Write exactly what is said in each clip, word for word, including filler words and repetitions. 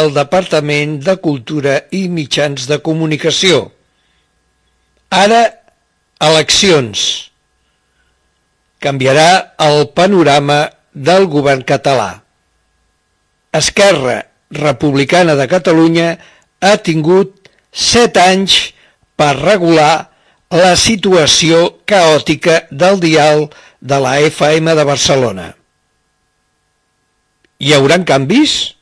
el Departament de Cultura i Mitjans de Comunicació. Ara, eleccions. Canviarà el panorama del govern català. Esquerra Republicana de Catalunya ha tingut set anys per regular la situació caòtica del dial de la F M de Barcelona. Hi haurà canvis?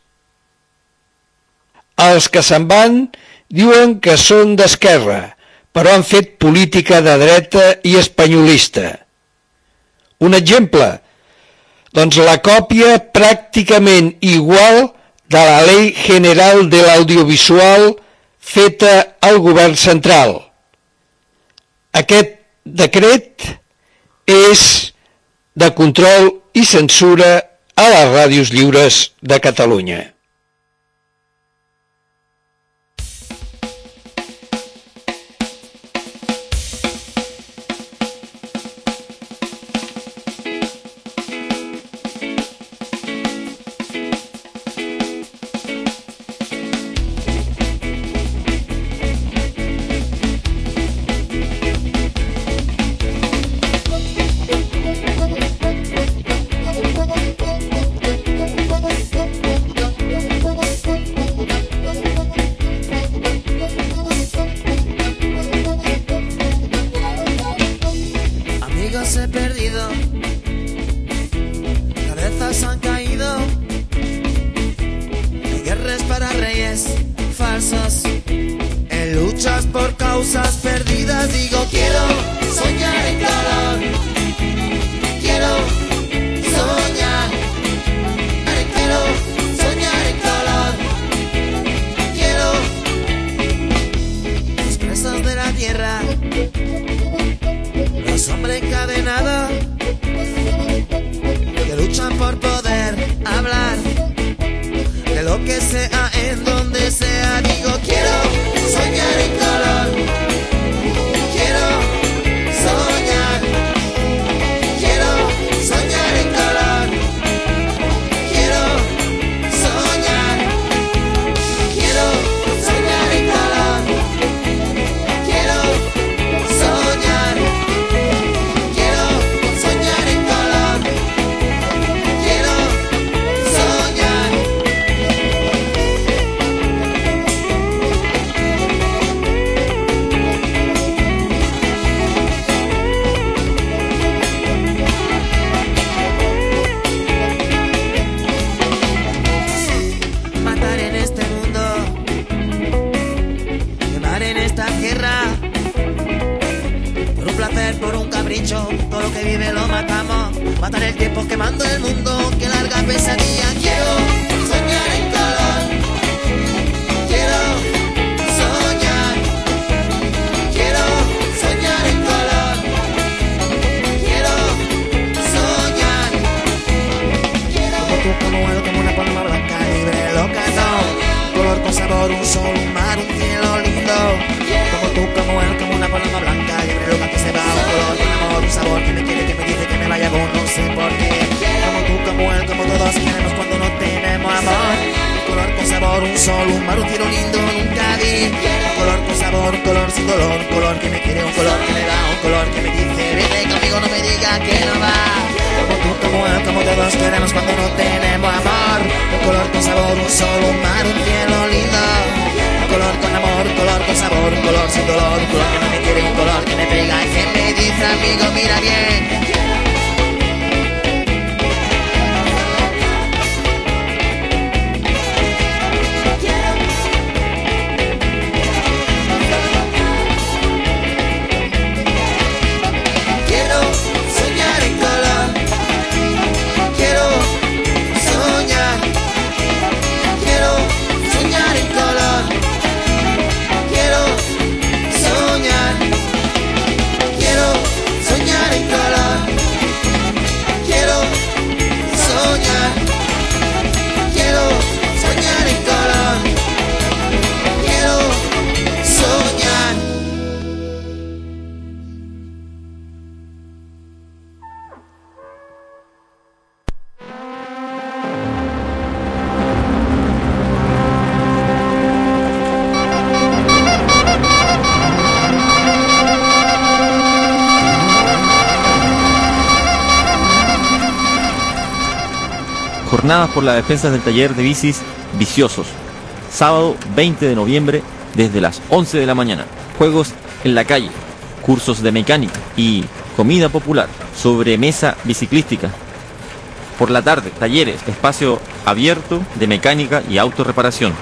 Els que se'n van diuen que són d'esquerra, però han fet política de dreta i espanyolista. Un exemple, doncs la còpia pràcticament igual de la Ley General de l'Audiovisual feta al govern central. Aquest decret és de control i censura a les ràdios lliures de Catalunya. Soñar en color. Jornadas por la defensa del taller de bicis Viciosos. Sábado veinte de noviembre desde las once de la mañana. Juegos en la calle, cursos de mecánica y comida popular, sobremesa biciclística. Por la tarde, talleres, espacio abierto de mecánica y autorreparación.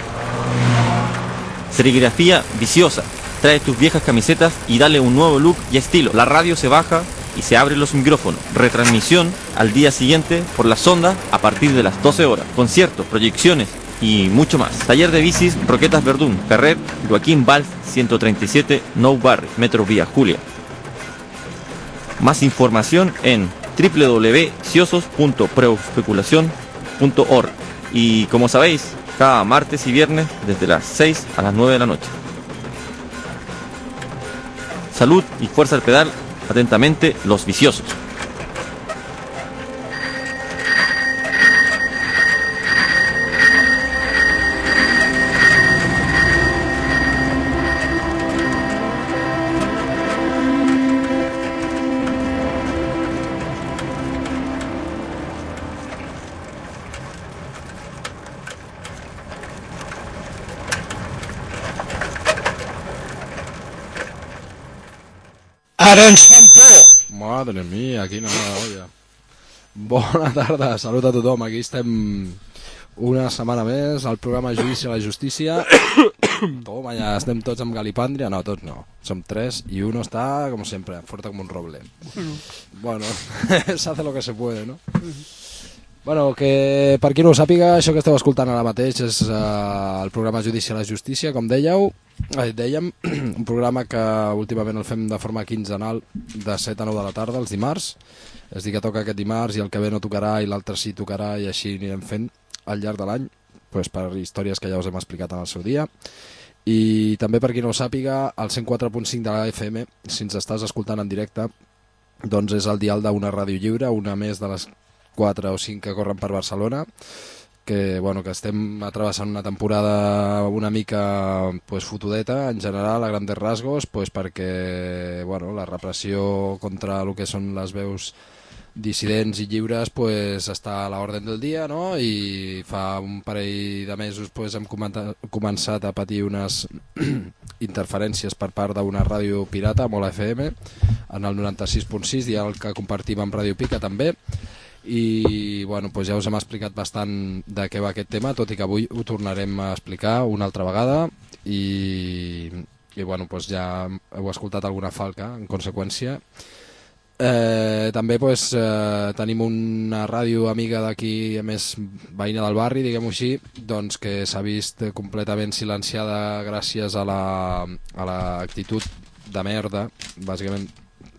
Serigrafía Viciosa. Trae tus viejas camisetas y dale un nuevo look y estilo. La radio se baja y se abren los micrófonos. Retransmisión al día siguiente por la sonda a partir de las doce horas. Conciertos, proyecciones y mucho más. Taller de bicis Roquetas Verdún, Carrer Joaquín Valls ciento treinta y siete, Nou Barri, Metro Vía Julia. Más información en doble u doble u doble u punto viciosos punto proespeculación punto org. Y como sabéis, cada martes y viernes desde las seis a las nueve de la noche. Salud y fuerza al pedal. Atentamente, los viciosos. Ara ens fan por! Madre mía, quina mala olla. Bona tarda, salut a tothom. Aquí estem una setmana més al programa Judici a la Justícia. Toma, ja estem tots amb galipàndria. No, tots no, som tres i uno està, com sempre, fuerte com un roble. Bueno, se hace lo que se puede, no? Bueno, que per qui no ho sàpiga, això que esteu escoltant ara mateix és uh, el programa Judici a la Justícia, com dèieu, eh, dèiem, un programa que últimament el fem de forma quinzenal de set a nou de la tarda, els dimarts, és a dir, que toca aquest dimarts i el que ve no tocarà i l'altre sí tocarà i així anirem fent al llarg de l'any, pues, per històries que ja us hem explicat en el seu dia. I també per qui no ho sàpiga, el cent quatre punt cinc de la F M, si ens estàs escoltant en directe, doncs és el dial d'una ràdio lliure, una més de les quatre o cinc que corren per Barcelona, que, bueno, que estem atravessant una temporada una mica pues, fotudeta en general, a grandes rasgos, pues, perquè bueno, la repressió contra el que són les veus dissidents i lliures pues, està a l'ordre del dia, no? I fa un parell de mesos pues, hem començat a patir unes interferències per part d'una ràdio pirata, Mola F M, en el noranta-sis punt sis, i el que compartim amb Ràdio Pica també. I bueno, doncs ja us hem explicat bastant de què va aquest tema, tot i que avui ho tornarem a explicar una altra vegada i, i bueno, doncs ja heu escoltat alguna falca en conseqüència. Eh, també doncs, eh, tenim una ràdio amiga d'aquí, a més veïna del barri, diguem-ho així, doncs que s'ha vist completament silenciada gràcies a la, a l'actitud de merda, bàsicament,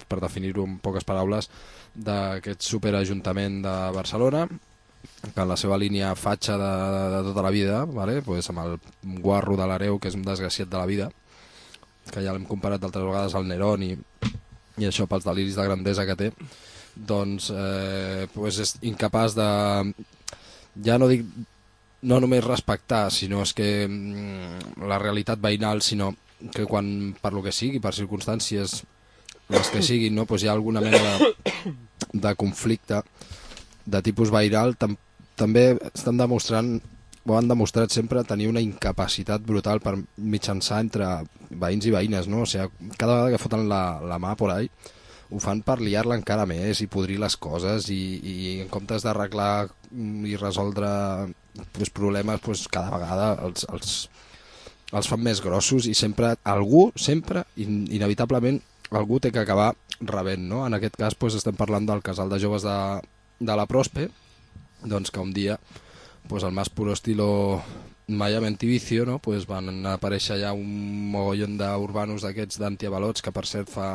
per definir-ho en poques paraules, d'aquest superajuntament de Barcelona, que en la seva línia fatxa de, de, de tota la vida, vale? Pues amb el guarro de l'Hereu, que és un desgraciat de la vida, que ja l'hem comparat d'altres vegades al Nerón i, i això pels deliris de grandesa que té, doncs eh, pues és incapaç de, ja no dic no només respectar, sinó és que mm, la realitat veïnal, sinó que quan per lo que sigui, per circumstàncies les que siguin, no? Pues hi ha alguna mena de, de conflicte de tipus veïnal, tam també estan demostrant, o han demostrat sempre, tenir una incapacitat brutal per mitjançar entre veïns i veïnes, no? O sigui, cada vegada que foten la, la mà por ahí, ho fan per liar-la encara més i podrir les coses i, i en comptes d'arreglar i resoldre pues, problemes, pues, cada vegada els, els, els fan més grossos i sempre algú, sempre, in, inevitablement, algú té que acabar rebent, no? En aquest cas pues, estem parlant del casal de joves de, de la Prospe, doncs que un dia pues, al más puro estilo Miami Vicio, no? Pues, van aparèixer ja un mogollon d'urbanos d'aquests d'antiavalots que per cert fa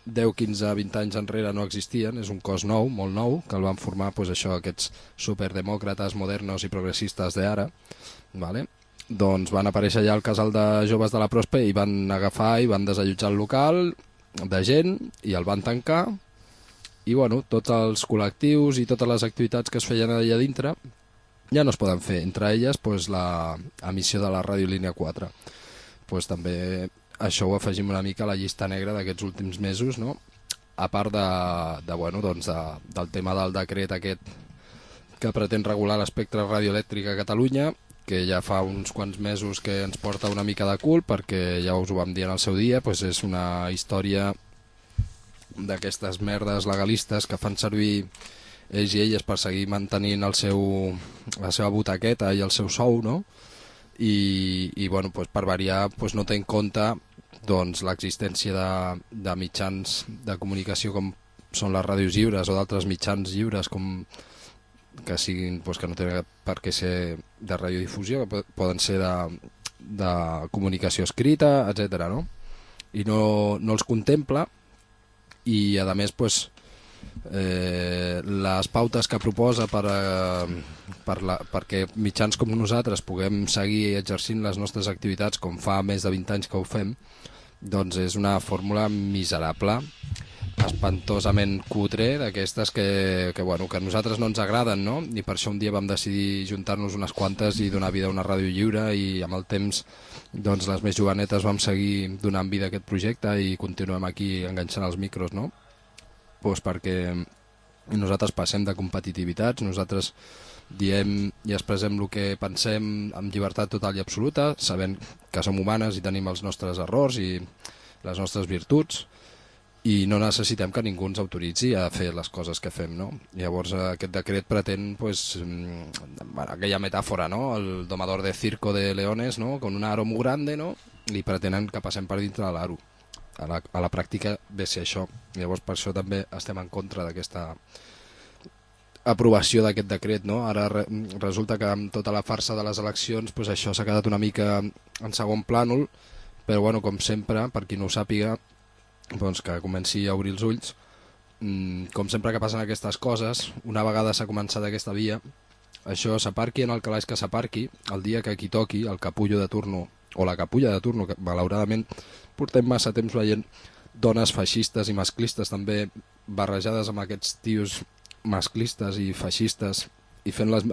deu, quinze, vint anys enrere no existien, és un cos nou, molt nou, que el van formar pues, això, aquests superdemòcrates modernos i progressistes d'ara, vale? Doncs van aparèixer ja al casal de joves de la Prospe i van agafar i van desallotjar el local de gent i el van tancar i bueno, tots els col·lectius i totes les activitats que es feien allà dintre ja no es poden fer, entre elles pues, la emissió de la ràdio línia quatre, pues, també això ho afegim una mica a la llista negra d'aquests últims mesos, no? A part de, de, bueno, doncs de, del tema del decret aquest que pretén regular l'espectre radioelèctric a Catalunya, que ja fa uns quants mesos que ens porta una mica de cul, perquè ja us ho vam dir en el seu dia, doncs és una història d'aquestes merdes legalistes que fan servir ells i elles per seguir mantenint el seu, la seva butaqueta i el seu sou, no? I, i bueno, doncs per variar doncs no té en compte doncs, l'existència de, de mitjans de comunicació com són les ràdios lliures o d'altres mitjans lliures com que siguin, doncs, que no tenen per què ser de radiodifusió, que poden ser de, de comunicació escrita, etcètera, no? I no, no els contempla, i a més doncs, eh, les pautes que proposa per, eh, per la, perquè mitjans com nosaltres puguem seguir exercint les nostres activitats com fa més de vint anys que ho fem, doncs és una fórmula miserable, espantosament cutre, d'aquestes que, que, bueno, que a nosaltres no ens agraden, no? I per això un dia vam decidir juntar-nos unes quantes i donar vida a una ràdio lliure, i amb el temps doncs, les més jovenetes vam seguir donant vida a aquest projecte i continuem aquí enganxant els micros, no? Pues perquè nosaltres passem de competitivitats, nosaltres diem i expressem el que pensem amb llibertat total i absoluta, sabent que som humanes i tenim els nostres errors i les nostres virtuts, i no necessitem que ningú ens autoritzi a fer les coses que fem, no? Llavors aquest decret pretén, pues, aquella metàfora, no? El domador de circo de leones, no? Con un aro muy grande, no? I pretenen que passem per dintre de l'aro. A la, a la pràctica ve ser això. Llavors per això també estem en contra d'aquesta aprovació d'aquest decret, no? Ara re, resulta que amb tota la farsa de les eleccions pues això s'ha quedat una mica en segon plànol, però bueno, com sempre, per qui no ho sàpiga, doncs que comenci a obrir els ulls. Com sempre que passen aquestes coses, una vegada s'ha començat aquesta via, això s'aparqui en el calaix que s'aparqui, el dia que qui toqui, el capullo de turno o la capulla de turno, que malauradament portem massa temps veient dones feixistes i masclistes també barrejades amb aquests tios masclistes i feixistes i fent les,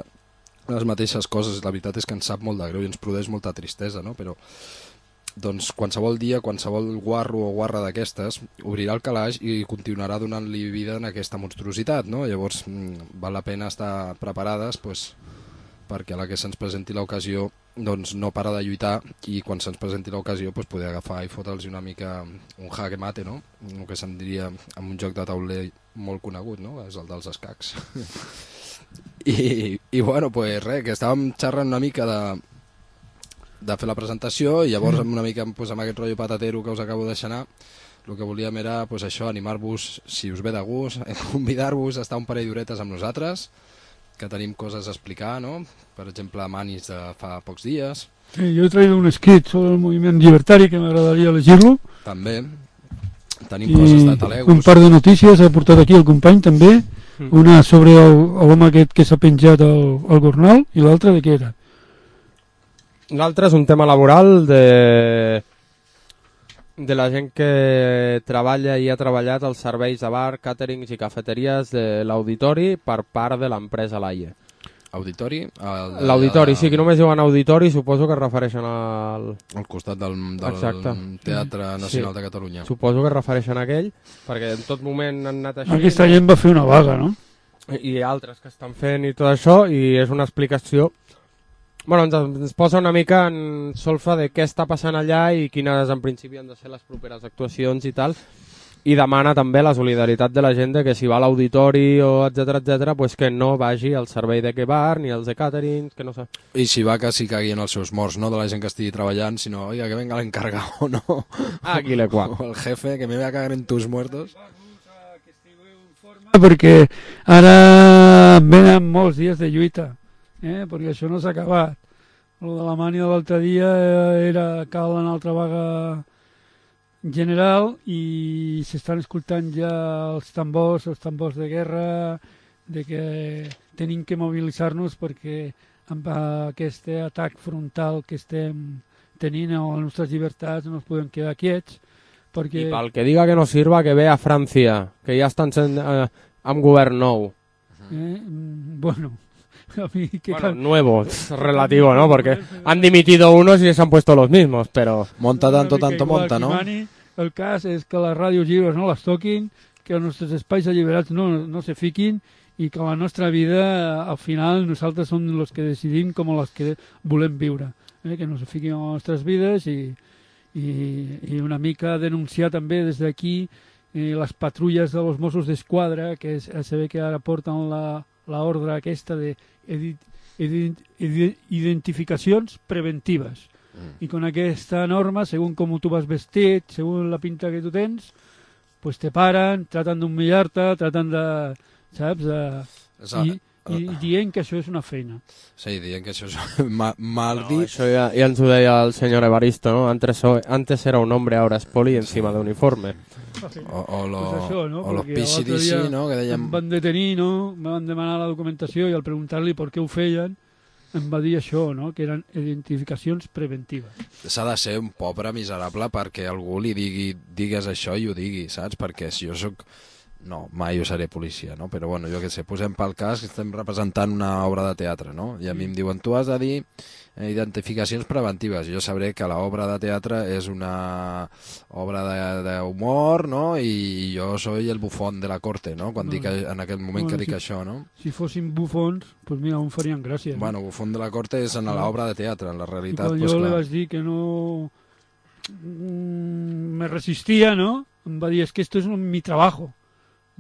les mateixes coses. La veritat és que ens sap molt de greu i ens produeix molta tristesa, no? Però doncs qualsevol dia, qualsevol guarro o guarra d'aquestes obrirà el calaix i continuarà donant-li vida en aquesta monstruositat, no? Llavors val la pena estar preparades pues, perquè a la que se'ns presenti l'ocasió doncs no para de lluitar, i quan se'ns presenti l'ocasió pues, poder agafar i fotre'ls una mica un jaque mate, no? El que se'n diria en un joc de tauler molt conegut, no? És el dels escacs. I, i bueno, pues res, que estàvem xerrant una mica de de fer la presentació, i llavors una mica pues, amb aquest rotllo patatero que us acabo de deixar, el que volíem era pues, això, animar-vos, si us ve de gust, convidar-vos a estar un parell d'horetes amb nosaltres, que tenim coses a explicar, no? Per exemple, Manis de fa pocs dies. Sí, jo he traït un escrit sobre el moviment llibertari que m'agradaria llegir-lo. També. Tenim I coses de Talegos. Un par de notícies ha portat aquí el company també, una sobre l'home aquest que s'ha penjat al, al Gornal, i l'altra de què era? L'altre és un tema laboral de, de la gent que treballa i ha treballat als serveis de bar, càterings i cafeteries de l'auditori per part de l'empresa Laie. Auditori? L'auditori, sí, que només diuen auditori, suposo que es refereixen al... Al costat del, del Teatre Nacional sí. de Catalunya. Suposo que es refereixen a aquell, perquè en tot moment han anat així... Aquesta gent va fer una vaga, no? I altres que estan fent i tot això, i és una explicació... Bueno, ens, ens posa una mica en solfa de què està passant allà i quines en principi han de ser les properes actuacions i tal, i demana també la solidaritat de la gent de que si va a l'auditori o etcètera, etcètera, pues que no vagi al servei de que bar ni als de catering, que no sé. I si va que s'hi caguin els seus morts, no de la gent que estigui treballant, sinó, oiga, que venga l'encargado, no? Aquí le cual. O el jefe, que me voy a cagar en tus muertos. Perquè ara venen molts dies de lluita. Eh, perquè això no s'ha acabat. El de la mània de l'altre dia era cal en altra vaga general i s'estan escoltant ja els tambors, els tambors de guerra, de que tenim que mobilitzar-nos perquè amb aquest atac frontal que estem tenint a les nostres llibertats no ens podem quedar quiets. Perquè... I pel que diga que no sirva, que ve a França, que ja estan sent, eh, amb govern nou. Eh, bueno... A mí, que bueno, nuevo, relativo, ¿no? Porque han dimitido unos y se han puesto los mismos, pero... Monta tanto, tanto monta, ¿no? Mani, el cas és que les ràdios lliures no les toquin, que els nostres espais alliberats no, no se fiquin i que la nostra vida, al final, nosaltres som els que decidim com els que volem viure, eh? Que no se fiquin en les nostres vides i, i, i una mica denunciar també des d'aquí eh, les patrulles de los Mossos d'Esquadra, que és, se ve que ara porten la, la ordre aquesta de edit, edit, edit, identificacions preventives. Mm. I con aquesta norma, según com tu vas vestit, según la pinta que tu tens, pues te paren, tratan d'humillar-te, tratan de... saps? De, i, i dient que això és una feina. Sí, dient que això és ma, mal no, dit. Això ja, ja ens ho deia el senyor Evaristo, ¿no? Antes, antes era un hombre, ahora es poli encima de uniforme. O, o lo, pues això, no? o lo P C D C, no? Que dèiem... Em van detenir, no? Me van demanar la documentació i al preguntar-li per què ho feien em va dir això, no? Que eren identificacions preventives. S'ha de ser un pobre miserable perquè algú li digui, digues això i ho digui, saps? Perquè si jo sóc... No, mai jo seré policia, no? Però bueno, jo què sé, posem pel cas que estem representant una obra de teatre, no? I a mi em diuen, tu has de dir eh, identificacions preventives. Jo sabré que l'obra de teatre és una obra d'humor, no? I jo soy el bufón de la corte, no? Quan no, dic, en aquell moment bueno, que dic si, això, no? Si fossin bufons, pues mira, on farien gràcia. No? Bueno, bufón de la corte és en l'obra de teatre, en la realitat, I quan pues, jo clar. li vaig dir que no... Mm, me resistia, no? Em va dir, es que esto es mi trabajo.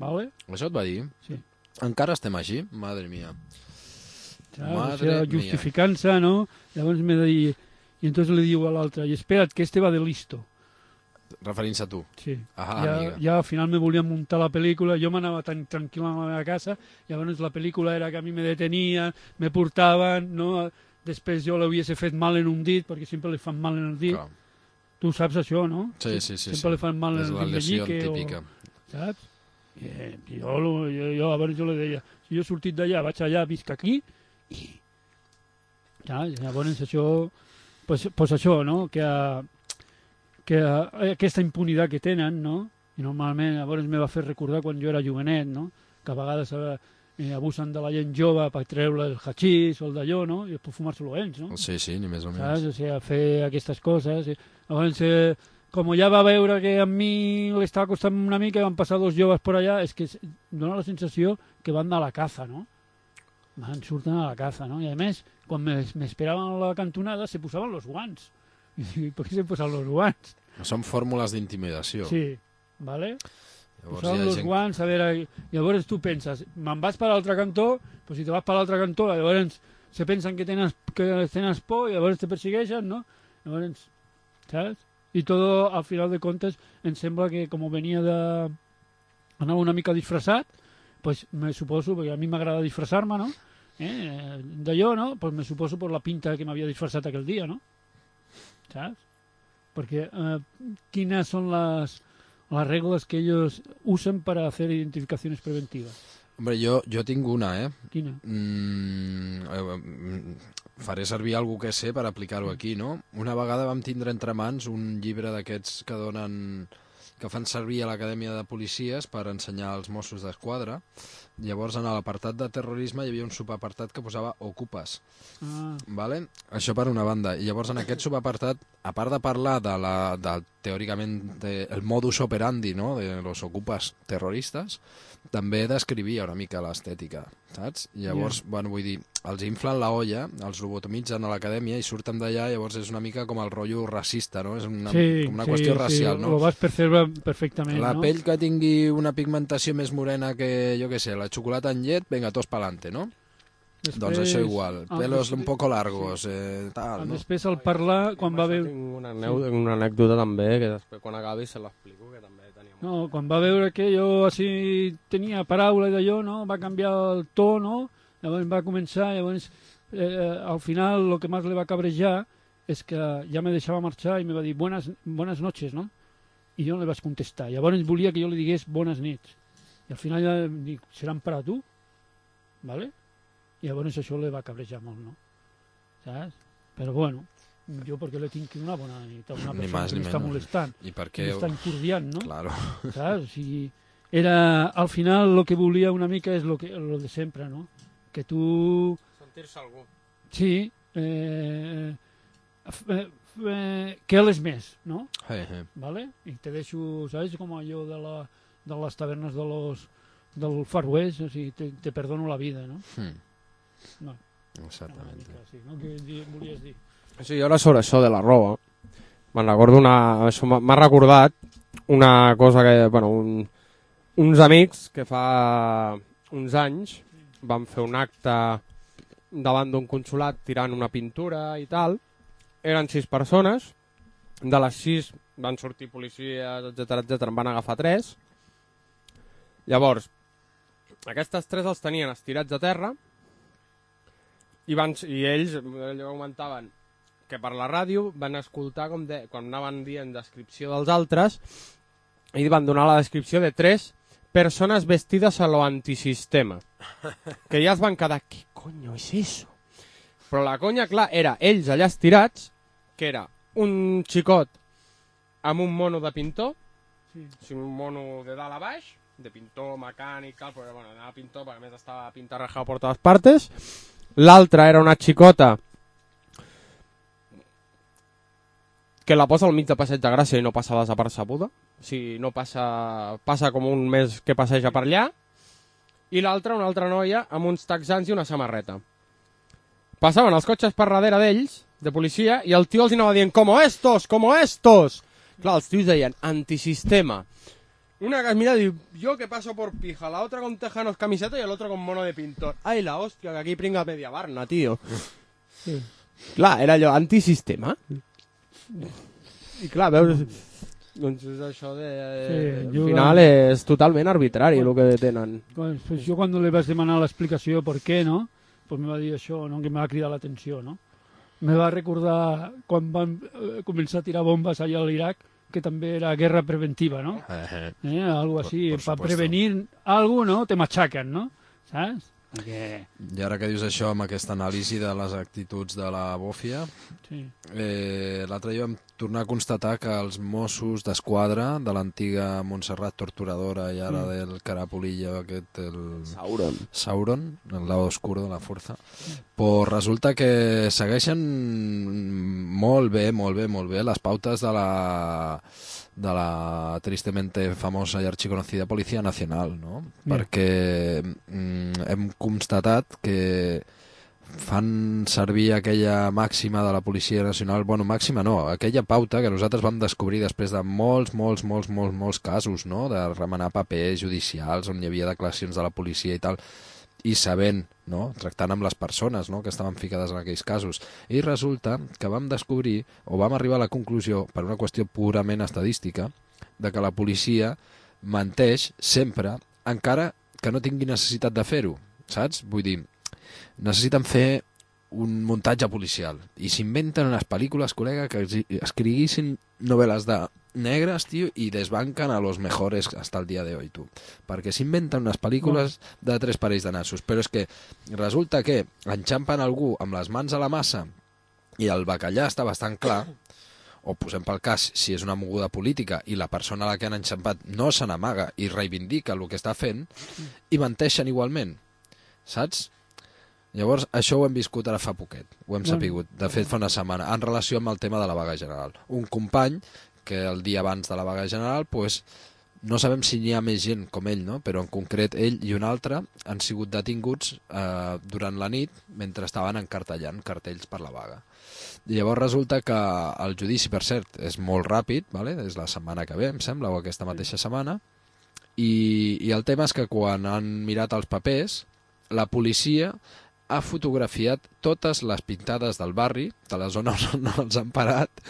¿Vale? Això et va dir? Sí. Encara estem així? Madre mía. Madre o sea, justificant-se, ¿no? Llavors m'he de dir... I entonces li diu a l'altre, i espera't, que este va de listo. Referint-se a tu? Sí. Ah, ja, amiga. ja al final me volien muntar la pel·lícula, jo m'anava tan tranquil a la meva casa, llavors la pel·lícula era que a mi me detenien, me portaven, no? Després jo l'hagués fet mal en un dit, perquè sempre li fan mal en el dit. Clar. Tu saps això, no? Sí, sí, sí. Sempre sí. li fan mal en és el la dit lesió meñique. típica. O... Saps? Eh, jo, jo, jo, a veure, jo li deia, si jo he sortit d'allà, vaig allà, visc aquí, i ja, llavors això, pues, pues això, no?, que, que aquesta impunitat que tenen, no?, i normalment llavors me va fer recordar quan jo era jovenet, no?, que a vegades eh, abusen de la gent jove per treure el hachís o el d'allò, no?, i després fumar-se-lo ells, no? Sí, sí, ni més o menys. Saps? O sigui, fer aquestes coses. I, llavors, eh, com ja va veure que a mi li estava costant una mica, van passar dos joves per allà, és que dona la sensació que van a la caza, no? Van, surten a la caza, no? I a més, quan m'esperaven a la cantonada, se posaven els guants. I dic, per què se posen els guants? Són fórmules d'intimidació. Sí, vale? Llavors, posaven els gent... guants, a veure... Llavors tu penses, me'n vas per l'altre cantó, però si te vas per l'altre cantó, llavors se pensen que tens, que tens por, i llavors te persegueixen, no? Llavors, saps? I tot, al final de comptes, em sembla que com venia de... anava una mica disfressat, pues me suposo, perquè a mi m'agrada disfressar-me, no? Eh, d'allò, no? Pues me suposo per la pinta que m'havia disfressat aquell dia, no? Saps? Perquè eh, quines són les, las reglas que ellos usen para hacer identificaciones preventivas? Hombre, jo, jo tinc una, eh? Quina? Mm, eh, faré servir algú que sé per aplicar-ho aquí, no? Una vegada vam tindre entre mans un llibre d'aquests que donen... que fan servir a l'Acadèmia de Policies per ensenyar als Mossos d'Esquadra. Llavors, en l'apartat de terrorisme hi havia un subapartat que posava Ocupes. Ah. Vale? Això per una banda. I llavors, en aquest subapartat, a part de parlar de la, de, teòricament, de, el modus operandi, no?, de los ocupes terroristes, també descrivia una mica l'estètica, saps? Llavors, yeah. bueno, vull dir, els inflen la olla, els lobotomitzen a l'acadèmia i surten d'allà, llavors és una mica com el rotllo racista, no? És una, sí, com una sí, qüestió sí, racial, no? Ho vas percebre perfectament, la no? La pell que tingui una pigmentació més morena que, jo què sé, la xocolata en llet, venga, tots pa'lante, no? Després, doncs això igual, pelos després, un poco largos, sí. eh, tal, no? Després al parlar, quan va veure... Tinc una, sí. una anècdota també, que després quan acabi se l'explico, que també tenia... No, quan va veure que jo així tenia paraula d'allò, no? Va canviar el to, no? Llavors va començar, llavors eh, al final el que més li va cabrejar és que ja me deixava marxar i me va dir buenas, buenas noches, no? I jo no li vaig contestar. Llavors volia que jo li digués bones nits. I al final ja em dic, seran per a tu? Vale? I llavors això li va cabrejar molt, no? Saps? Però bueno, jo perquè li tinc una bona nit a una persona que m'està molestant. I per què? M'està incordiant, no? Claro. Saps? O sigui, era, al final el que volia una mica és lo, que, lo de sempre, no? Que tu... Sentir-se algú. Sí, eh, eh, eh, que él és més, no? Hey, hey. ¿Vale? I te deixo, saps, com allò de, la, de les tavernes de los, del Far West, o sigui, te, te perdono la vida, no? Mm. No. Exactament. Sí, no? Què di- volies dir? Sí, jo ara sobre això de la roba, me'n recordo una... Això m'ha m'ha recordat una cosa que, bueno, un, uns amics que fa uns anys van fer un acte davant d'un consolat tirant una pintura i tal. Eren sis persones, de les sis van sortir policies, etcètera, etcètera, en van agafar tres. Llavors, aquestes tres els tenien estirats a terra i, van, i ells allò comentaven que per la ràdio van escoltar com de, quan anaven dient descripció dels altres i van donar la descripció de tres persones vestides a lo antisistema. Que ja es van quedar, què coño és eso? Però la conya, clar, era ells allà estirats, que era un xicot amb un mono de pintor, Sí. o sigui, un mono de dalt a baix, de pintor mecànic, tal, però bueno, anava pintor perquè a més estava pintarrajado por todas partes. L'altra era una xicota que la posa al mig de Passeig de Gràcia i no passa desapercebuda. O sigui, no passa, passa com un mes que passeja per allà. I l'altra, una altra noia, amb uns texans i una samarreta. Passaven els cotxes per darrere d'ells, de policia, i el tio els anava dient, como estos, como estos. Clar, els tios deien, antisistema. Una que es mira y diu, yo que paso por pija, la otra con tejanos camiseta y el otro con mono de pintor. Ay, la hostia, que aquí pringa media barna, tío. Sí. Clar, era allò, antisistema. I clar, veus... Doncs és això de... Sí, al final és totalment arbitrari el que tenen. Pues, pues yo cuando le vas a demanar l'explicació per què, no? Pues me va dir això, no? Que me va cridar l'atenció, no? Me va recordar quan van eh, començar a tirar bombes allà a l'Iraq, que també era guerra preventiva, ¿no? Eh, Eh, algo así, por para supuesto. prevenir algo, ¿no? Te machacan, ¿no? ¿Sabes? Perquè... I ara que dius això amb aquesta anàlisi de les actituds de la bòfia, Sí. eh, l'altre dia vam tornar a constatar que els Mossos d'Esquadra de l'antiga Montserrat torturadora i ara Mm. del Carapulillo aquest, el Sauron. Sauron, el lado oscuro de la força, pues resulta que segueixen molt bé, molt bé, molt bé les pautes de la de la tristemente famosa i arxiconocida Policia Nacional, no? Ja. Perquè mm, hem constatat que fan servir aquella màxima de la Policia Nacional, bueno, màxima no, aquella pauta que nosaltres vam descobrir després de molts, molts, molts, molts, molts casos, no?, de remenar papers judicials on hi havia declaracions de la policia i tal, i sabent, no?, tractant amb les persones, no?, que estaven ficades en aquells casos. I resulta que vam descobrir, o vam arribar a la conclusió, per una qüestió purament estadística, de que la policia menteix sempre, encara que no tingui necessitat de fer-ho, saps? Vull dir, necessiten fer un muntatge policial i s'inventen unes pel·lícules, col·lega, que escriguissin novel·les de negres, tio, i desbanquen a los mejores hasta el dia de hoy, tu. Perquè s'inventen unes pel·lícules de tres parells de nassos, però és que resulta que enxampen algú amb les mans a la massa i el bacallà està bastant clar, o posem pel cas, si és una moguda política i la persona a la que han enxampat no se n'amaga i reivindica el que està fent, i menteixen igualment, saps? Llavors, això ho hem viscut ara fa poquet, ho hem sapigut, de fet fa una setmana, en relació amb el tema de la vaga general. Un company que el dia abans de la vaga general, pues, no sabem si n'hi ha més gent com ell, no? Però en concret ell i un altre han sigut detinguts eh, durant la nit mentre estaven encartellant cartells per la vaga. I llavors resulta que el judici, per cert, és molt ràpid, vale? És la setmana que ve, em sembla, o aquesta mateixa setmana, i, i el tema és que quan han mirat els papers, la policia ha fotografiat totes les pintades del barri, de la zona on els han parat,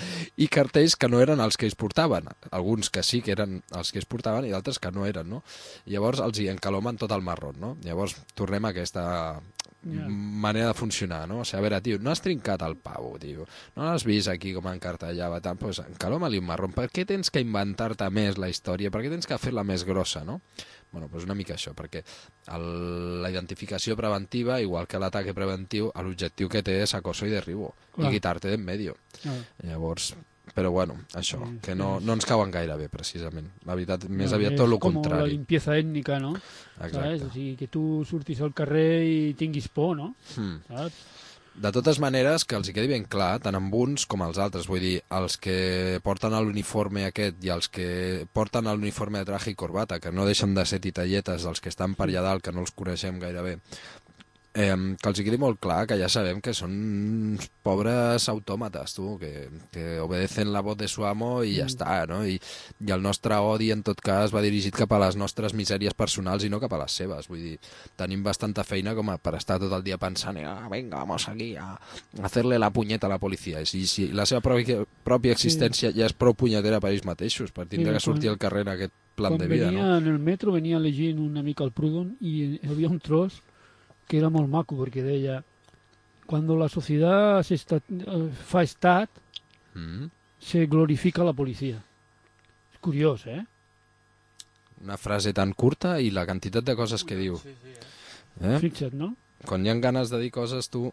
i cartells que no eren els que ells portaven. Alguns que sí que eren els que ells portaven i d'altres que no eren, no? I llavors els hi encalomen tot el marrón, no? Llavors tornem a aquesta Ja. manera de funcionar, no? O sigui, a veure, tio, no has trincat el pavo, tio. No l'has vist aquí com encartellava, tant, doncs encaloma-li un marrón. Per què tens que inventar-te més la història? Per què tens que fer-la més grossa, no? Bueno, doncs una mica això, perquè el, la identificació preventiva, igual que l'ataque preventiu, l'objectiu que té és acoso i derribo, Clar. i quitarte d'en medio. Ah. Llavors, però bueno, això, Sí, que sí. no, no ens cauen gaire bé, precisament. La veritat, més No, aviat és tot el com la contrari. limpieza ètnica, no? Exacte. ¿Sabes? O sigui, que tu surtis al carrer i tinguis por, no? Hmm. Saps? De totes maneres, que els hi quedi ben clar, tant amb uns com els altres, vull dir, els que porten l'uniforme aquest i els que porten l'uniforme de traje i corbata, que no deixen de ser titalletes dels que estan per allà dalt, que no els coneixem gaire bé, eh, que els hi quedi molt clar que ja sabem que són uns pobres autòmates, tu, que, que obedecen la voz de su amo i ja està, no? I, i el nostre odi, en tot cas, va dirigit cap a les nostres misèries personals i no cap a les seves. Vull dir, tenim bastanta feina com a per estar tot el dia pensant ah, venga, vamos aquí a hacerle la punyeta a la policia. I si la seva pròpia, pròpia existència sí. ja és prou punyetera per ells mateixos, per tindre que sortir al carrer en aquest plan de vida, no? Quan venia en el metro, venia llegint una mica el Proudhon i hi havia un tros que era molt maco, perquè deia cuando la sociedad se está, fa estat, mm. se glorifica la policia. És curiós, eh? Una frase tan curta i la quantitat de coses que diu. Sí, sí, eh? Eh? Fixa't, no? Quan hi ha ganes de dir coses, tu...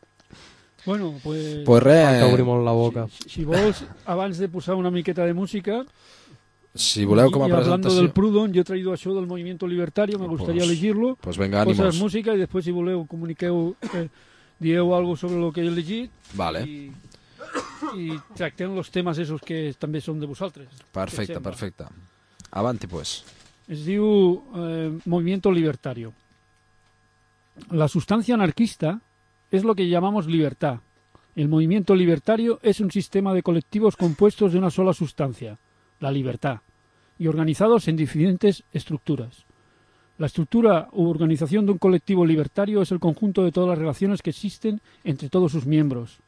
Bueno, pues... Pues res... T'obri molt la boca. Si, si vols, abans de posar una miqueta de música... Si voleu com a y presentació... hablando del Proudhon, yo he traído això del movimiento libertario, me gustaría pues, elegirlo. Pues venga, ánimos. Posas música y después, si voleu, comuniqueu, eh, dieu algo sobre lo que he elegit. Vale. Y, y tractem los temes esos que també són de vosaltres. Perfecte, perfecte. Avanti, pues. Es diu eh, movimiento libertario. La sustancia anarquista es lo que llamamos libertad. El movimiento libertario es un sistema de colectivos compuestos de una sola sustancia, la libertad, y organizados en diferentes estructuras. La estructura u organización de un colectivo libertario es el conjunto de todas las relaciones que existen entre todos sus miembros.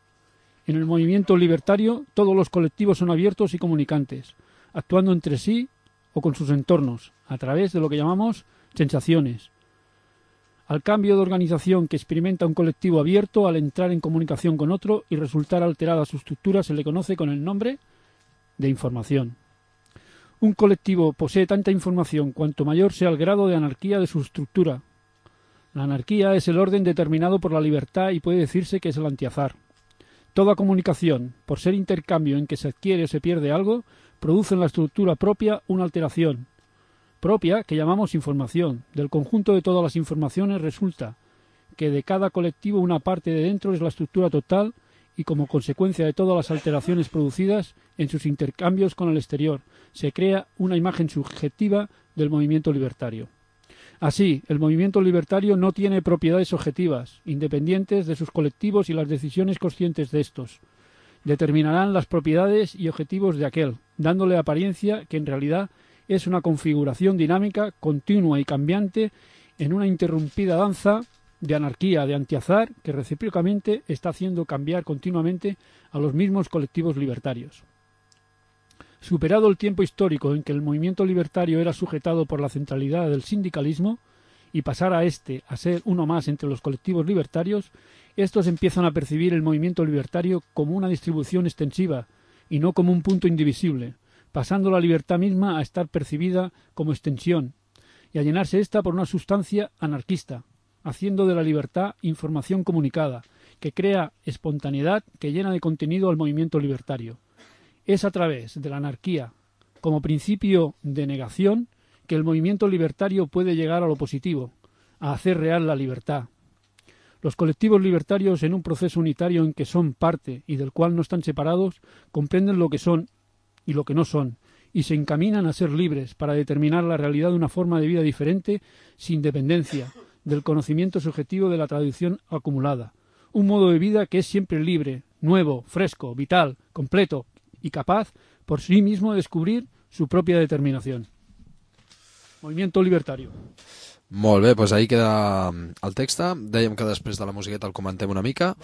En el movimiento libertario, todos los colectivos son abiertos y comunicantes, actuando entre sí o con sus entornos, a través de lo que llamamos sensaciones. Al cambio de organización que experimenta un colectivo abierto al entrar en comunicación con otro y resultar alterada su estructura se le conoce con el nombre de información. Un colectivo posee tanta información cuanto mayor sea el grado de anarquía de su estructura. La anarquía es el orden determinado por la libertad y puede decirse que es el antiazar. Toda comunicación, por ser intercambio en que se adquiere o se pierde algo, produce en la estructura propia una alteración propia que llamamos información. Del conjunto de todas las informaciones resulta que de cada colectivo una parte de dentro es la estructura total y como consecuencia de todas las alteraciones producidas en sus intercambios con el exterior, se crea una imagen subjetiva del movimiento libertario. Así, el movimiento libertario no tiene propiedades objetivas, independientes de sus colectivos y las decisiones conscientes de estos. Determinarán las propiedades y objetivos de aquel, dándole apariencia que en realidad es una configuración dinámica, continua y cambiante en una interrumpida danza de anarquía, de antiazar, que recíprocamente está haciendo cambiar continuamente a los mismos colectivos libertarios. Superado el tiempo histórico en que el movimiento libertario era sujetado por la centralidad del sindicalismo y pasar a este a ser uno más entre los colectivos libertarios, estos empiezan a percibir el movimiento libertario como una distribución extensiva y no como un punto indivisible, pasando la libertad misma a estar percibida como extensión y a llenarse ésta por una sustancia anarquista, haciendo de la libertad información comunicada, que crea espontaneidad que llena de contenido al movimiento libertario. Es a través de la anarquía, como principio de negación, que el movimiento libertario puede llegar a lo positivo, a hacer real la libertad. Los colectivos libertarios, en un proceso unitario en que son parte y del cual no están separados, comprenden lo que son y lo que no son, y se encaminan a ser libres para determinar la realidad de una forma de vida diferente, sin dependencia del conocimiento subjetivo de la tradición acumulada. Un modo de vida que es siempre libre, nuevo, fresco, vital, completo y capaz por sí mismo de descubrir su propia determinación. Movimiento libertario. Molt bé, doncs ahí queda el text. Dèiem que després de la musiqueta el comentem una mica.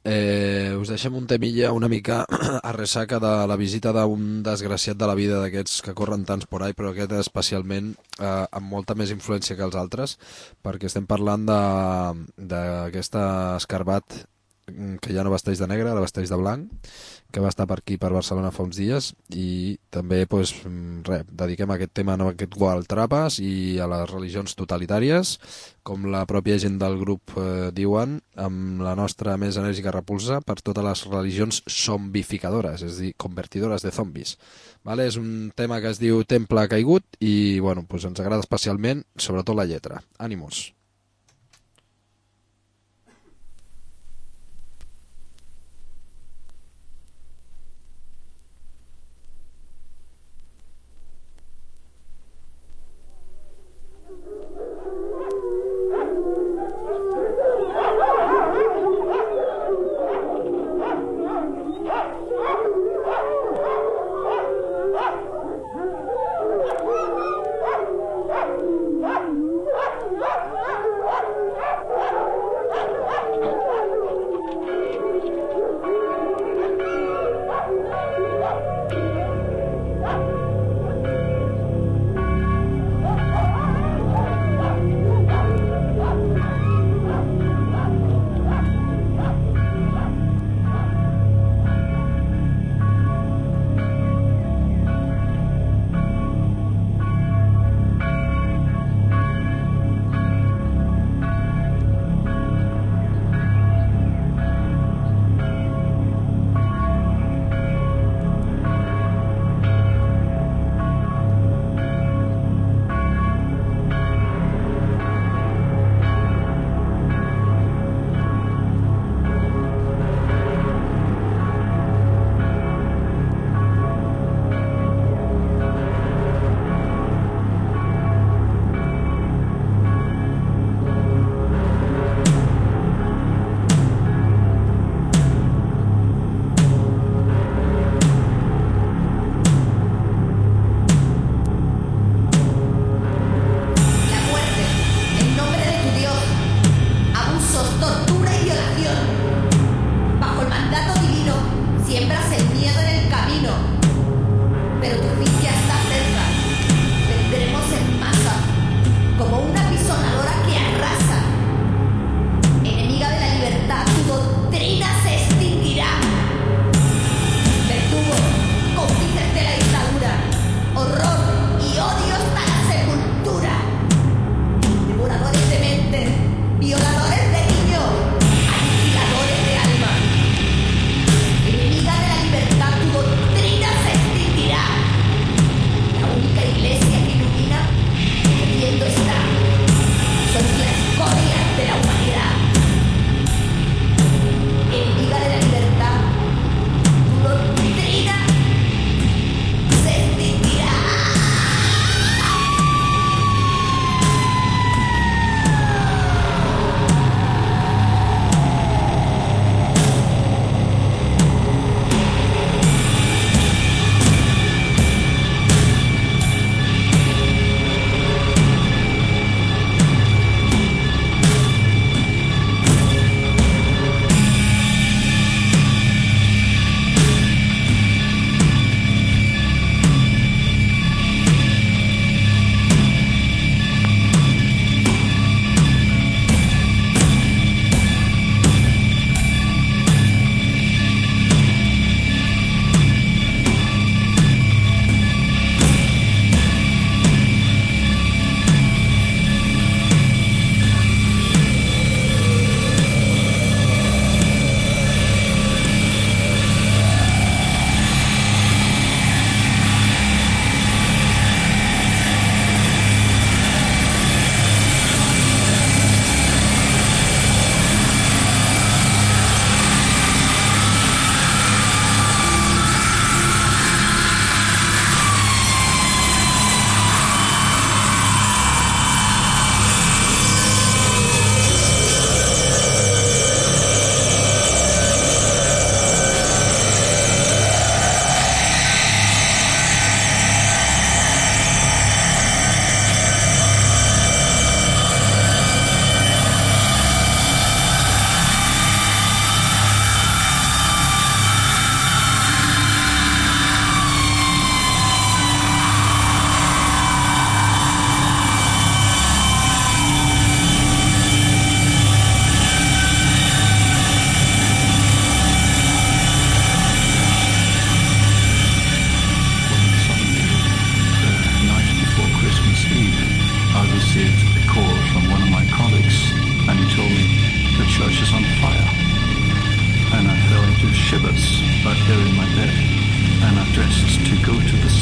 Eh, us deixem un temilla una mica a ressaca de la visita d'un desgraciat de la vida d'aquests que corren tants por ahí, però aquest especialment eh, amb molta més influència que els altres, perquè estem parlant d'aquest escarbat que ja no vesteix de negre, ara vesteix de blanc, que va estar per aquí, per Barcelona, fa uns dies, i també pues, re, dediquem aquest tema a aquest Gual Trapas i a les religions totalitàries, com la pròpia gent del grup eh, diuen, amb la nostra més enèrgica repulsa per totes les religions zombificadores, és a dir, convertidores de zombis. Vale? És un tema que es diu Temple caigut i bueno, pues ens agrada especialment, sobretot la lletra. Ànimos.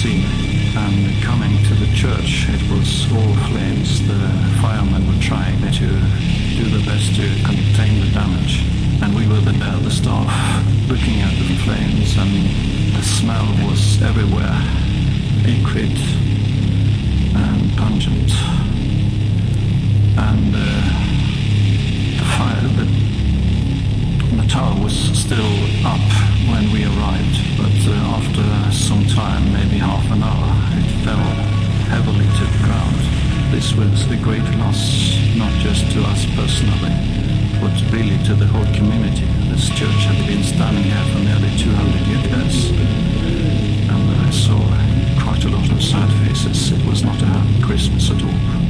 sea. And coming to the church, it was all flames. The firemen were trying to do the best to contain the damage. And we were there, the staff, looking at the flames, and the smell was everywhere, acrid and pungent. And uh, the fire, the, the tower was still up when we arrived, but uh, after some time, maybe half an hour, it fell heavily to the ground. This was a great loss, not just to us personally, but really to the whole community. This church had been standing here for nearly two hundred years, and I saw quite a lot of sad faces. It was not a happy Christmas at all.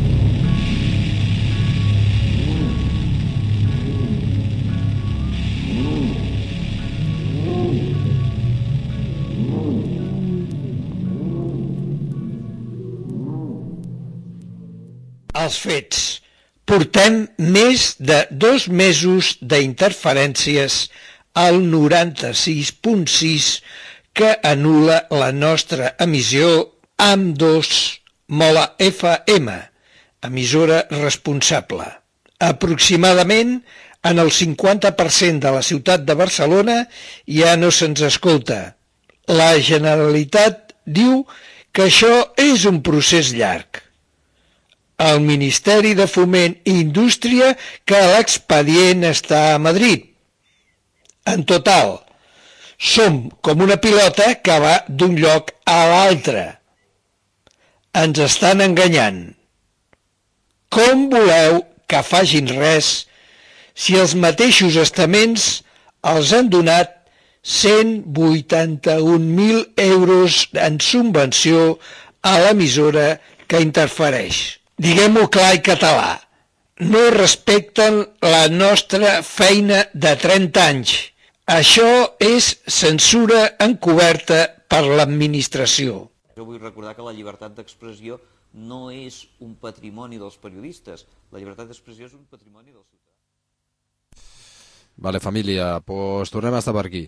Els fets. Portem més de dos mesos d'interferències al noranta-sis punt sis que anul·la la nostra emissió amb dos Mola F M, emissora responsable. Aproximadament en el cinquanta per cent de la ciutat de Barcelona ja no se'ns escolta. La Generalitat diu que això és un procés llarg. El Ministeri de Foment i Indústria que l'expedient està a Madrid. En total, som com una pilota que va d'un lloc a l'altre. Ens estan enganyant. Com voleu que facin res si els mateixos estaments els han donat cent vuitanta-un mil euros en subvenció a l'emissora que interfereix? Diguem-ho clar i català, no respecten la nostra feina de trenta anys. Això és censura encoberta per l'administració. Jo vull recordar que la llibertat d'expressió no és un patrimoni dels periodistes. La llibertat d'expressió és un patrimoni dels ciutadans. Vale, família, doncs tornem a estar per aquí.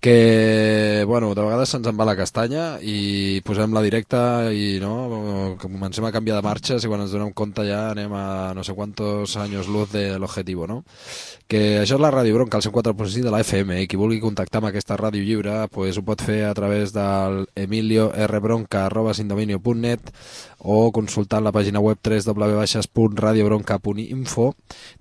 Que, bueno, de vegades se'ns en va la castanya i posem la directa i no, comencem a canviar de marxes i quan ens donem compte ja anem a no sé quantos años luz de l'objectiu, no? Que això és la Ràdio Bronca, el cent quatre punt sis de la F M, i qui vulgui contactar amb aquesta ràdio lliure pues ho pot fer a través del emilio r bronca arroba sindominio punt net o consultant la pàgina web w w w punt radio bronca punt info.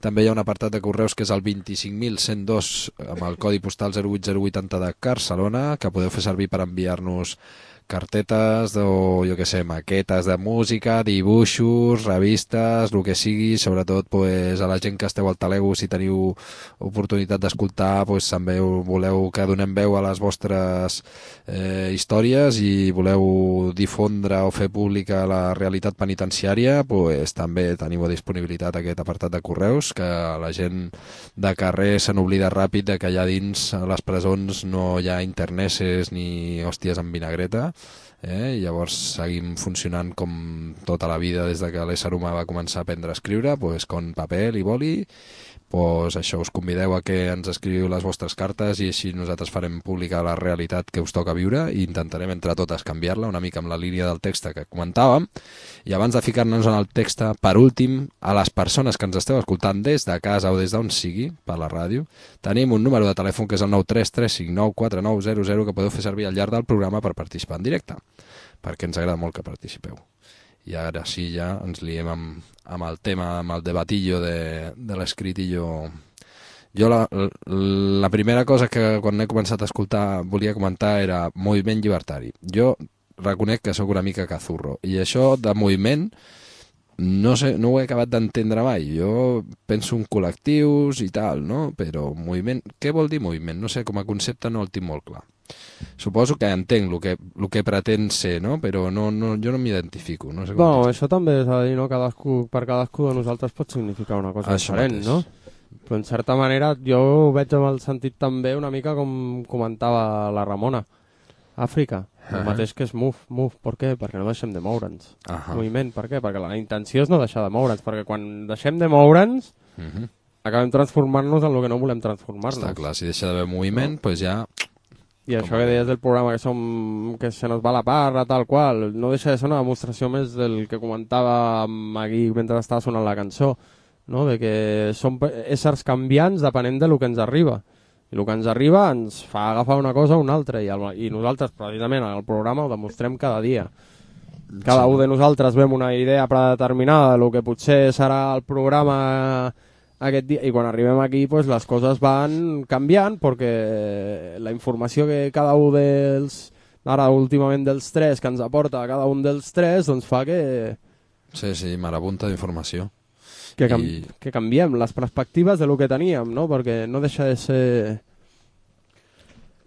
També hi ha un apartat de correus que és el vint-i-cinc mil cent dos amb el codi postal zero vuit zero vuitanta de Barcelona, que podeu fer servir per enviar-nos cartetes o, jo què sé, maquetes de música, dibuixos, revistes, el que sigui, sobretot pues, a la gent que esteu al Talego, si teniu oportunitat d'escoltar, pues, també voleu que donem veu a les vostres eh, històries i voleu difondre o fer pública la realitat penitenciària, pues, també teniu a disponibilitat aquest apartat de correus, que la gent de carrer se n'oblida ràpid de que allà dins a les presons no hi ha interneses ni hòsties amb vinagreta. Eh? Llavors seguim funcionant com tota la vida des de que l'ésser humà va començar a aprendre a escriure, pues, con paper i boli. Pues això, us convideu a que ens escriviu les vostres cartes i així nosaltres farem pública la realitat que us toca viure i intentarem entre totes canviar-la una mica amb la línia del text que comentàvem. I abans de ficar-nos en el text, per últim, a les persones que ens esteu escoltant des de casa o des d'on sigui, per la ràdio, tenim un número de telèfon que és el nou tres tres cinc nou quatre nou zero zero que podeu fer servir al llarg del programa per participar en directe, perquè ens agrada molt que participeu. I ara sí, ja ens liem amb, amb el tema, amb el debatillo de, de l'escritillo. Jo la, la primera cosa que quan he començat a escoltar volia comentar era moviment llibertari. Jo reconec que sóc una mica cazurro i això de moviment no sé, no ho he acabat d'entendre mai. Jo penso en col·lectius i tal, no? Però moviment, què vol dir moviment? No sé, com a concepte no el tinc molt clar. Suposo que entenc el que, el que pretén ser, no? Però no, no, jo no m'identifico. No sé com bueno, això també és a dir, no? Cadascú, per cadascú de nosaltres pot significar una cosa això diferent, mateix. No? Però en certa manera jo ho veig amb el sentit també una mica com comentava la Ramona. Àfrica, el Uh-huh. mateix que és move, move, per què? Perquè no deixem de moure'ns. Uh-huh. Moviment, per què? Perquè la intenció és no deixar de moure'ns, perquè quan deixem de moure'ns Uh-huh. acabem transformant-nos en el que no volem transformar-nos. Està clar, si deixa d'haver moviment, no. Pues ja I això que deies del programa que, som, que se nos va la parra, tal qual, no deixa de ser una demostració més del que comentava Magui mentre estava sonant la cançó, no? De que som éssers canviants depenent del que ens arriba. I el que ens arriba ens fa agafar una cosa o una altra, i, el, i nosaltres, precisament, en el programa ho demostrem cada dia. Cada un de nosaltres vem una idea predeterminada del que potser serà el programa aquest dia, i quan arribem aquí pues, les coses van canviant perquè la informació que cada un dels, ara últimament dels tres, que ens aporta cada un dels tres, doncs fa que... Sí, sí, marabunta d'informació. Que, cam I... que canviem les perspectives de lo que teníem, no? Perquè no deixa de ser...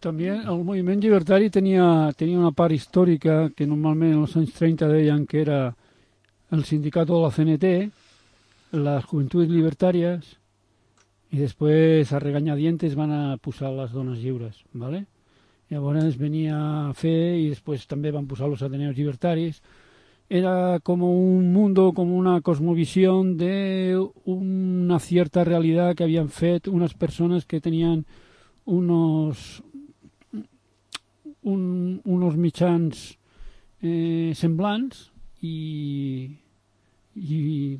També el moviment llibertari tenia, tenia una part històrica que normalment en els anys trenta deien que era el sindicat de la C N T, les Juventudes Libertàries, i després a regañadientes van a posar les dones lliures, ¿vale? Llavors venia a fer i després també van posar els Ateneos Libertaris. Era como un mundo, como una cosmovisión de una cierta realidad que habían fet unas personas que tenían unos un, unos mitjans eh, semblants i, i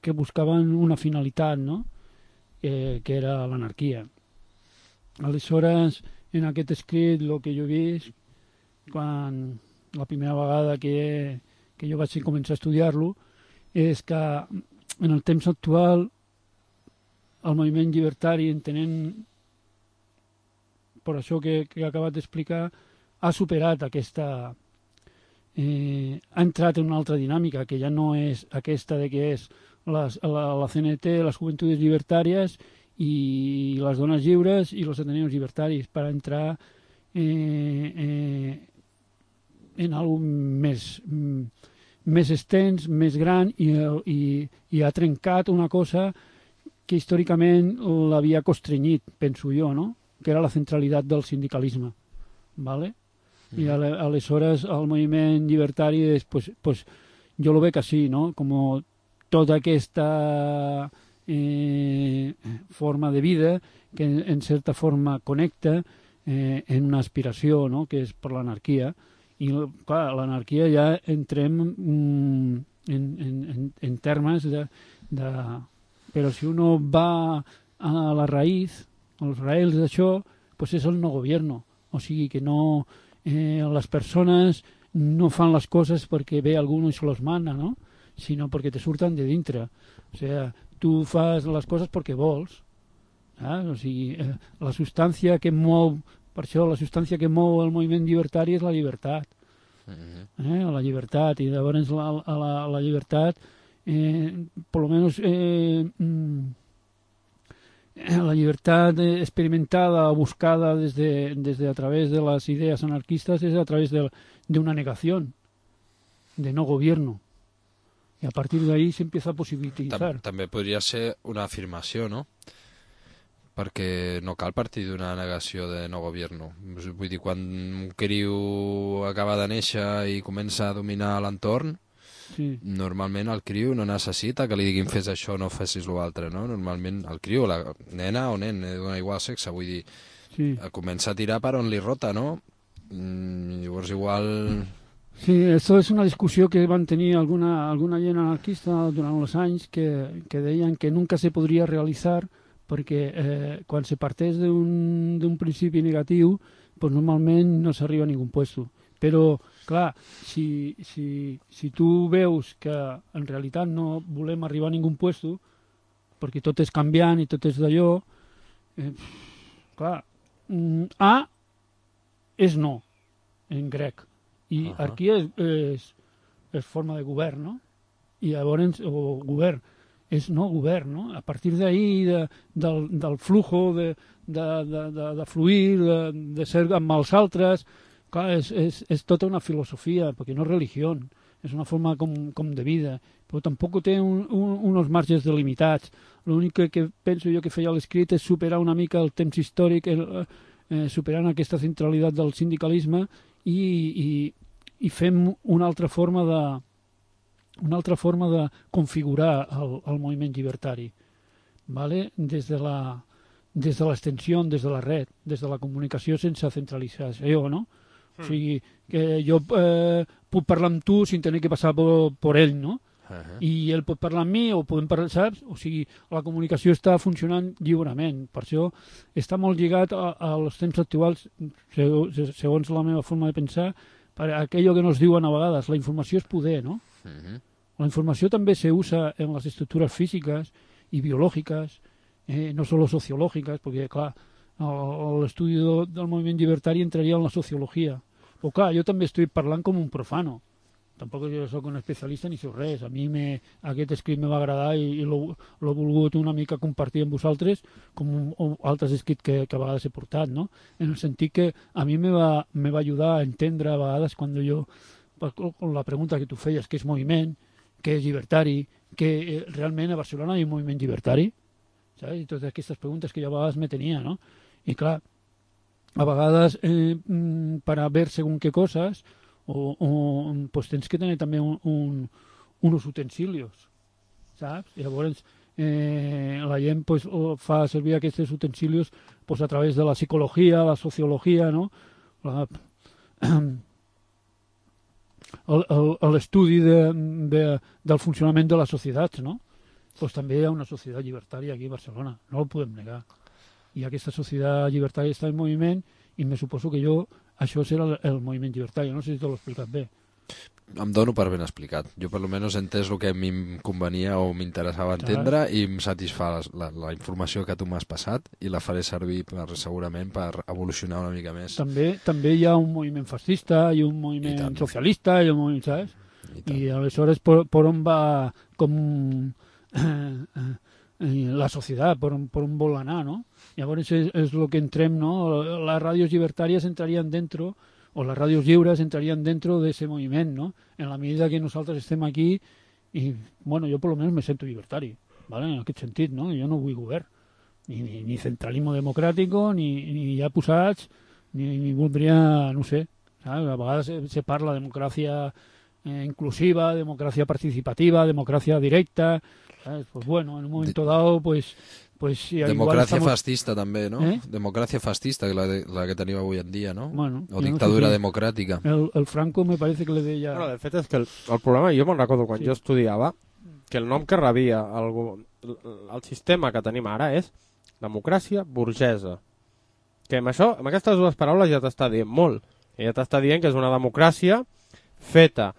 que buscaven una finalitat, no? Eh, que era l'anarquia. Aleshores, en aquest escrit, el que jo he vist, quan la primera vegada que, que jo vaig començar a estudiar-lo, és que en el temps actual el moviment llibertari, entenent per això que, que he acabat d'explicar, ha superat aquesta... Eh, ha entrat en una altra dinàmica, que ja no és aquesta de que és les, la, la C N T, les Juventudes Libertàries i les dones lliures i els Ateneos Libertaris, per entrar eh, eh, en algo més, més extens, més gran, i, i, i ha trencat una cosa que històricament l'havia constrenyit, penso jo, no? Que era la centralitat del sindicalisme. ¿Vale? Mm. I aleshores el moviment llibertari és, pues, pues, jo lo veig així, no? Com tota aquesta eh, forma de vida que en, en certa forma connecta eh, en una aspiració, no? Que és per l'anarquia. I clar, l'anarquia ja entrem mm, en, en, en, en termes de, de... Però si uno va a la raïz, als raïls d'això, pues és el no gobierno. O sigui que no, eh, les persones no fan les coses perquè ve algú i se los mana, no? Sinó perquè te surten de dintre. O sigui, tu fas les coses perquè vols. Eh? O sigui, eh, la substància que mou, per això la substància que mou el moviment llibertari és la llibertat. Eh? La llibertat. I llavors la, la, la llibertat, eh, per lo menos... Eh, mm, la libertad experimentada o buscada desde, desde a través de las ideas anarquistas es a través de, de una negación, de no gobierno. Y a partir de ahí se empieza a posibilitzar. Tam, també podria ser una afirmació, no? Perquè no cal partir d'una negació de no gobierno. Vull dir, quan un criu acaba de néixer i comença a dominar l'entorn, sí. Normalment el criu no necessita que li diguin fes això, no fessis l'altre, no? Normalment el criu, la nena o nen, dona igual sexe, vull dir, sí. Comença a tirar per on li rota, no? Mm, llavors igual... Sí, això és una discussió que van tenir alguna, alguna gent anarquista durant els anys que, que deien que nunca se podria realitzar perquè eh, quan se parteix d'un principi negatiu, pues normalment no s'arriba a ningú puesto. Però, clar, si, si, si tu veus que en realitat no volem arribar a ningú puesto, perquè tot és canviant i tot és d'allò, eh, clar, A és no, en grec, i uh -huh. arquia és, és, és forma de govern, no? I llavors, o govern, és no govern, no? A partir d'ahir, de, del, del flujo, de, de, de, de, de fluir, de, de ser amb els altres... Clar, és, és, és tota una filosofia, perquè no és religió, és una forma com, com de vida, però tampoc té un, un, uns marges delimitats. L'únic que, que penso jo que feia l'escrit és superar una mica el temps històric, el, eh, superant aquesta centralitat del sindicalisme i, i, i fem una altra forma de, una altra forma de configurar el, el moviment llibertari, ¿vale? Des de la des de l'extensió, des de la red, des de la comunicació sense centralització, no? Mm. O sigui, que jo eh, puc parlar amb tu sin tenir que passar per, per ell, no? Uh -huh. I ell pot parlar amb mi o podem parlar, saps? O sigui, la comunicació està funcionant lliurement. Per això està molt lligat a, als temps actuals, segons la meva forma de pensar, per aquello que nos diuen a vegades, la informació és poder, no? Uh -huh. La informació també se usa en les estructures físiques i biològiques, eh, no solo sociològiques, perquè, clar, l'estudi del moviment llibertari entraria en la sociologia. Però, clar, jo també estic parlant com un profano. Tampoc jo soc un especialista ni soc res. A mi me, aquest escrit me va agradar i, i l'he volgut una mica compartir amb vosaltres com un, un, altres escrits que, que a vegades he portat, no? En el sentit que a mi me va, me va ajudar a entendre a vegades quan jo, con la pregunta que tu feies, què és moviment, què és llibertari, que eh, realment a Barcelona hi ha un moviment llibertari, saps? I totes aquestes preguntes que jo a vegades me tenia, no? I clar, a vegades eh, per a ver según qué cosas o, o pues tens que tenir també un, un, unos utensilios, saps? I llavors eh, la gent pues, fa servir aquests utensilios pues, a través de la psicologia, la sociologia, no? La, l'estudi de, de, del funcionament de les societats, no? Pues també hi ha una societat llibertària aquí a Barcelona, no ho podem negar. I aquesta societat llibertària està en moviment i me suposo que jo, això serà el, el moviment llibertari. No sé si te l'he explicat bé. Em dono per ben explicat. Jo per almenys he entès el que a mi em convenia o m'interessava entendre i em satisfà la, la informació que tu m'has passat i la faré servir per, segurament per evolucionar una mica més. També també hi ha un moviment fascista, hi ha un moviment socialista, hi ha un moviment, saps? I, I aleshores per, per on va com eh, eh, la societat, per on, per on vol anar, no? Llavors és, és el que entrem, no? Les ràdios llibertàries entrarien dentro, o les ràdios lliures entrarien dentro de ese moviment, no? En la medida que nosaltres estem aquí, i, bueno, jo per lo menos me sento llibertari, ¿vale? En aquest sentit, no? Jo no vull govern, ni, ni, ni centralismo democràtico, ni, ni ja posats, ni, ni voldria, no sé, saps? A vegades se, se parla de democràcia eh, inclusiva, democràcia participativa, democràcia directa, ¿sabes? Pues bueno, en un momento dado, pues... Pues, sí, democràcia estamos... fascista també, no? Eh? Democràcia fascista, la, de, la que tenim avui en dia, no? Bueno, o dictadura no sé si democràtica. El, el Franco me parece que le deia... Bueno, de fet és que el, el problema, jo me'n recordo quan sí. jo estudiava, que el nom que rebia el, el, el sistema que tenim ara és democràcia burgesa. Que amb això, amb aquestes dues paraules ja t'està dient molt. I ja t'està dient que és una democràcia feta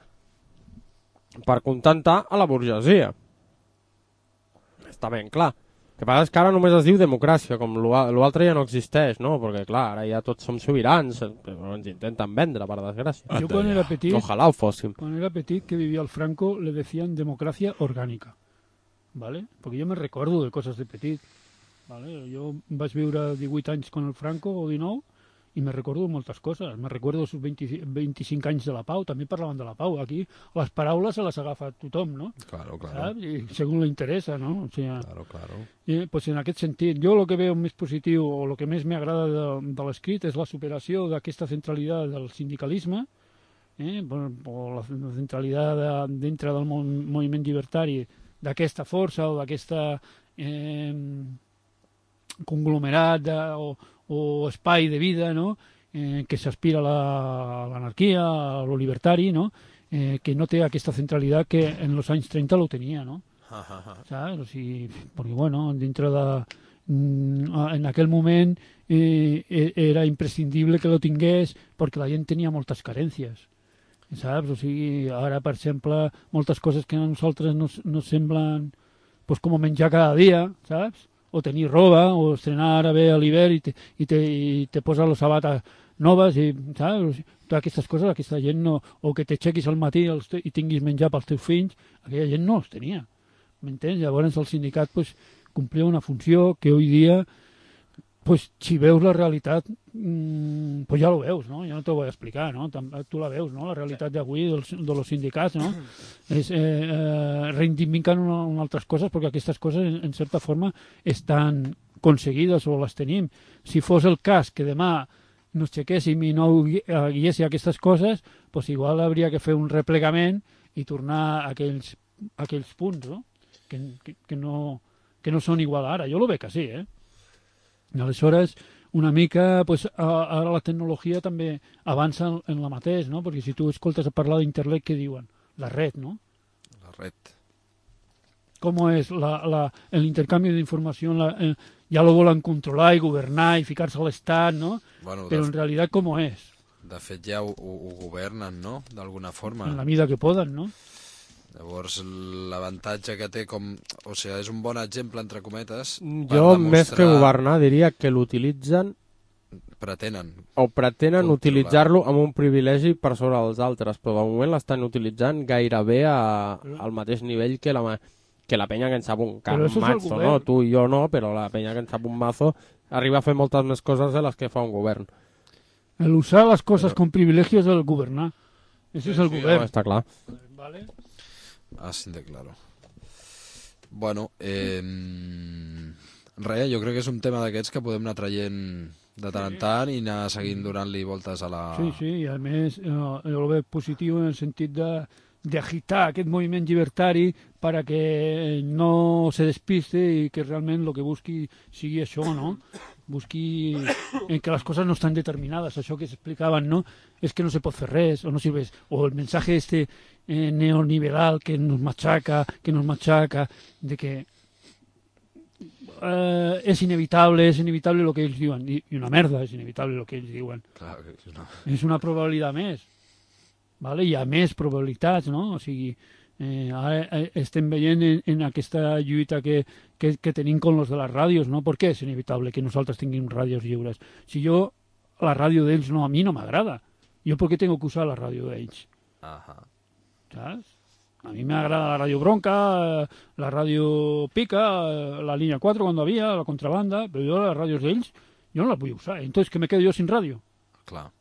per contentar a la burgesia. Està ben clar. El que passa és que ara només es diu democràcia, com l'altre ja no existeix, no? Perquè, clar, ara ja tots som sobirans, però ens intenten vendre, per desgràcia. Jo quan era petit, ojalà ho fóssim. Quan era petit, que vivia el Franco, le decían democràcia orgànica, ¿vale? Perquè jo me recordo de coses de petit, ¿vale? Jo vaig viure divuit anys con el Franco, o dinou, i me recordo moltes coses. Me recordo els vint-i-cinc anys de la pau, també parlaven de la pau. Aquí les paraules se les agafa tothom, no? Claro, claro. ¿Saps? I segons li interessa, no? O sigui, claro, claro. I, pues en aquest sentit, jo el que veu més positiu o el que més m'agrada de, de l'escrit és la superació d'aquesta centralitat del sindicalisme, eh? o la centralitat de, dintre del moviment llibertari d'aquesta força o d'aquesta eh, conglomerat de, o, o espai de vida, no? eh, que s'aspira a l'anarquia, a lo libertari, no? eh, que no té aquesta centralitat que en els anys trenta lo tenia, no? ¿Sabes? O sigui, perquè, bueno, dintre de... En aquell moment eh, era imprescindible que lo tingués perquè la gent tenia moltes carències, saps? O sigui, ara, per exemple, moltes coses que a nosaltres nos, nos semblen pues, com menjar cada dia, saps? O tenir roba, o estrenar ara bé a l'hivern i, te, i, te, i te posa les sabates noves, i, saps? Totes aquestes coses, aquesta gent no... O que t'aixequis al matí els te, i tinguis menjar pels teus fills, aquella gent no els tenia. M'entens? Llavors el sindicat pues, complia una funció que avui dia, pues, si veus la realitat, mmm, pues ja lo veus, no? Ja no t'ho vull explicar, no? Tu la veus, no? La realitat d'avui dels, de los sindicats, no? És, eh, eh, reivindiquen una, una altres coses perquè aquestes coses, en, en certa forma, estan aconseguides o les tenim. Si fos el cas que demà nos aixequéssim i no guiéssim aquestes coses, pues igual hauria que fer un replegament i tornar a aquells, a aquells punts, no? Que, que, que, no, que no són igual ara. Jo lo veig així, eh? I aleshores, una mica, pues, ara la tecnologia també avança en la mateix, no? Perquè si tu escoltes a parlar d'internet, què diuen? La red, no? La red. Com és la, la, l'intercanvi d'informació? La, eh, ja lo volen controlar i governar i ficar-se a l'Estat, no? Bueno, Però en realitat com és? De fet ja ho, ho, ho governen, no? D'alguna forma. En la mida que poden, no? Llavors l'avantatge que té com... O sigui, és un bon exemple, entre cometes, per jo, demostrar... més que governar, diria que l'utilitzen... Pretenen. O pretenen utilitzar-lo amb un privilegi per sobre els altres, però de moment l'estan utilitzant gairebé a, al mateix nivell que la, que la penya que en sap un camp mazo, no? Tu i jo no, però la penya que en sap un mazo arriba a fer moltes més coses de les que fa un govern. El usar les coses però... com privilegi és el governar. Ese és el sí, govern. No, està clar. Vale. Así de claro. Bueno, eh, res, jo crec que és un tema d'aquests que podem anar traient de tant en tant i anar seguint donant-li voltes a la... Sí, sí, i a més eh, jo ho veig positiu en el sentit de d'agitar aquest moviment llibertari para que no se despiste i que realment el que busqui sigui això, no? Busqui en que les coses no estan determinades, això que s'explicaven, no? És que no se pot fer res, o no sirves, o el mensaje este eh, neoliberal que nos machaca, que nos machaca, de que eh, és inevitable, és inevitable el que ells diuen, i, i una merda, és inevitable el que ells diuen. Clar, que és una... És una probabilitat més. Vale? Hi ha més probabilitats, no? O sigui, eh, ara estem veient en, en aquesta lluita que, que, que tenim con los de les ràdios, no? Per què és inevitable que nosaltres tinguem ràdios lliures? Si jo, la ràdio d'ells, no, a mi no m'agrada. Jo per què tengo que usar la ràdio d'ells? Ajá. ¿Sabes? A mí me agrada la radio Bronca, la radio Pica, la línea cuatro cuando había, la contrabanda, pero yo las radios d'ells, yo no las voy a usar. Entonces, ¿qué me quedo yo sin radio? Clar.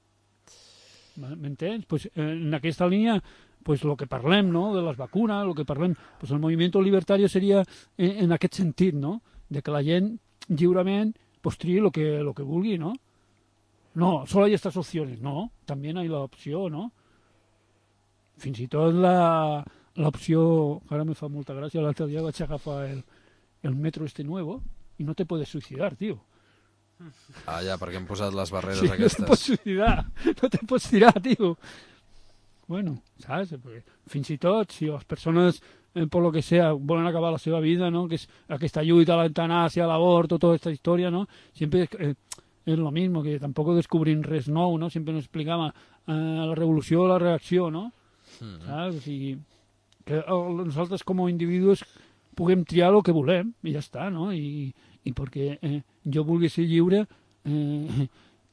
M'entens? Pues, en aquesta línia, pues, lo que parlem, no?, de les vacunes, lo que parlem, pues, el moviment libertari seria en, en aquest sentit, no?, de que la gent lliurement pues, triï lo que, lo que vulgui, no? No, solo hay estas opciones, no, también hay la opció, no? Fins i tot la, l'opció, ara me fa molta gràcia, l'altre dia vaig agafar el, el metro este nuevo i no te puedes suicidar, tío. Ah, ja, perquè hem posat les barreres sí, aquestes. No te pots suïcidar, no te pots tirar, tio. Bueno, saps? Perquè fins i tot, si les persones, eh, per lo que sea, volen acabar la seva vida, no? Que és aquesta lluita a l'eutanàsia, a l'avorto, tota aquesta història, no? Sempre eh, és lo mismo, que tampoc descobrim res nou, no? Sempre ens explicava eh, la revolució o la reacció, no? Mm-hmm. Saps? O sigui, que nosaltres com a individus puguem triar el que volem i ja està, no? I, i perquè eh, jo vulgui ser lliure, eh,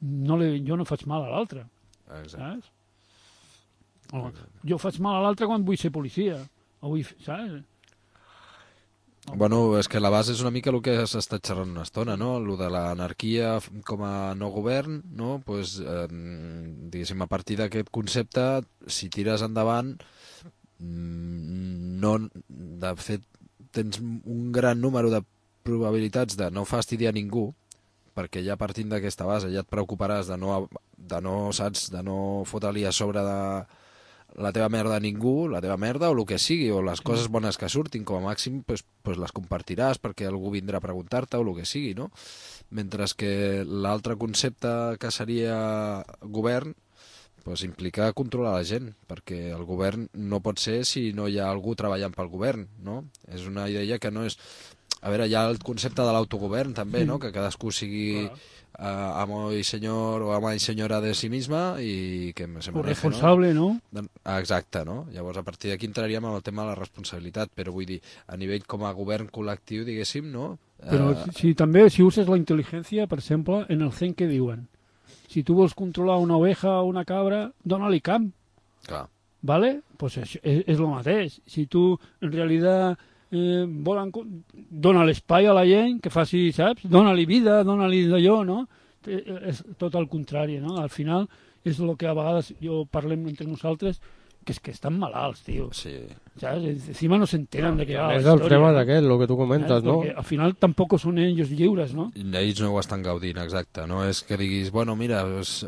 no le, jo no faig mal a l'altre. Saps? O, jo faig mal a l'altre quan vull ser policia. O vull, saps? O... Bueno, és que la base és una mica el que s'ha estat xerrant una estona, no? El de l'anarquia com a no govern, no? Pues, eh, diguéssim, a partir d'aquest concepte, si tires endavant, no, de fet, tens un gran número de probabilitats de no fastidiar ningú, perquè ja partint d'aquesta base ja et preocuparàs de no, de no, saps, de no fotre-li a sobre de la teva merda a ningú, la teva merda o el que sigui, o les coses bones que surtin, com a màxim pues, pues les compartiràs perquè algú vindrà a preguntar-te o el que sigui, no? Mentre que l'altre concepte que seria govern pues implica controlar la gent, perquè el govern no pot ser si no hi ha algú treballant pel govern, no? És una idea que no és... A veure, hi ha el concepte de l'autogovern també, no? Que cadascú sigui uh, amo i senyor o ama i senyora de si misma i que se maneje, responsable, no? no? Exacte, no? Llavors a partir d'aquí entraríem en el tema de la responsabilitat, però vull dir, a nivell com a govern col·lectiu, diguéssim, no? Però uh... si, si també, si uses la intel·ligència, per exemple, en el zen que diuen, si tu vols controlar una oveja o una cabra, dona-li camp. Clar. ¿Vale? Pues és, és, és el mateix. Si tu, en realitat, eh, volen, dona l'espai a la gent que faci, saps? Dona-li vida, dona-li d'allò, no? És tot el contrari, no? Al final és el que a vegades jo parlem entre nosaltres, que és que estan malalts, tio. Sí. ¿Sabes? Encima no se enteran de que va la és història. És el tema d'aquest, el que tu comentes, ¿sabes? no? Porque al final tampoc són ells lliures, no? Ells no ho estan gaudint, exacte. No és que diguis, bueno, mira... Pues,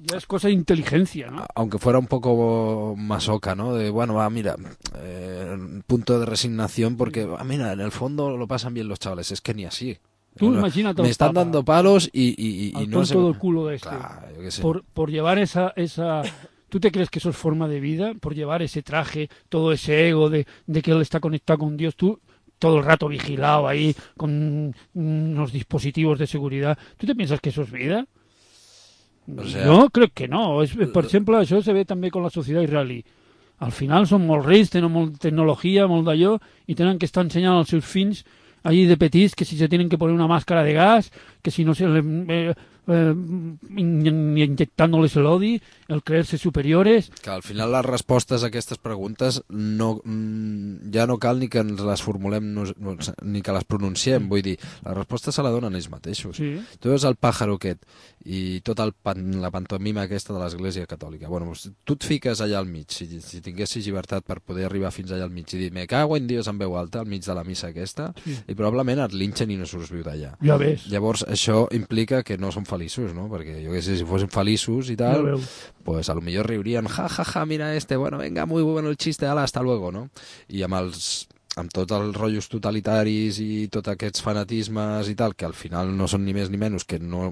ya es cosa de inteligencia, ¿no? Aunque fuera un poco masoca, ¿no? De, bueno, va, mira, eh, punto de resignación porque, ah, mira, en el fondo lo pasan bien los chavales. Es que ni así. Tú imagínate. Me están dando palos y, y, y al no sé. tonto del culo de este. Claro, yo qué sé. Por, por llevar esa, esa... ¿Tú te crees que eso es forma de vida? Por llevar ese traje, todo ese ego de, de que él está conectado con Dios. Tú, todo el rato vigilado ahí, con unos dispositivos de seguridad. ¿Tú te piensas que eso es vida? O sea, no, crec que no. És, per exemple, això se ve també con la societat israelí. Al final són molt rics, tenen molta tecnologia, molt d'allò, i tenen que estar ensenyant als seus fills allí de petits que si se tienen que poner una máscara de gas, que si no se le, eh, eh, inyectándoles el odi, el creerse superiores. Que al final les respostes a aquestes preguntes no, ja no cal ni que ens les formulem no, ni que les pronunciem, vull dir, la resposta se la donen ells mateixos. Sí. Tu veus el pàjaro aquest i tota el pan, la pantomima aquesta de l'Església Catòlica. Bueno, tu et fiques allà al mig, si, si tinguessis llibertat per poder arribar fins allà al mig i dir, me cago en Dios en veu alta al mig de la missa aquesta, sí. I probablement et linxen i no surts viu d'allà. Ja ves. Llavors això implica que no són feliços, no? Perquè jo què sé, si fossin feliços i tal, ja pues a lo millor riurien, ja, ja, ja, mira este, bueno, venga, muy bueno el chiste, ala, hasta luego, no? I amb els amb tots els rotllos totalitaris i tots aquests fanatismes i tal, que al final no són ni més ni menys que no...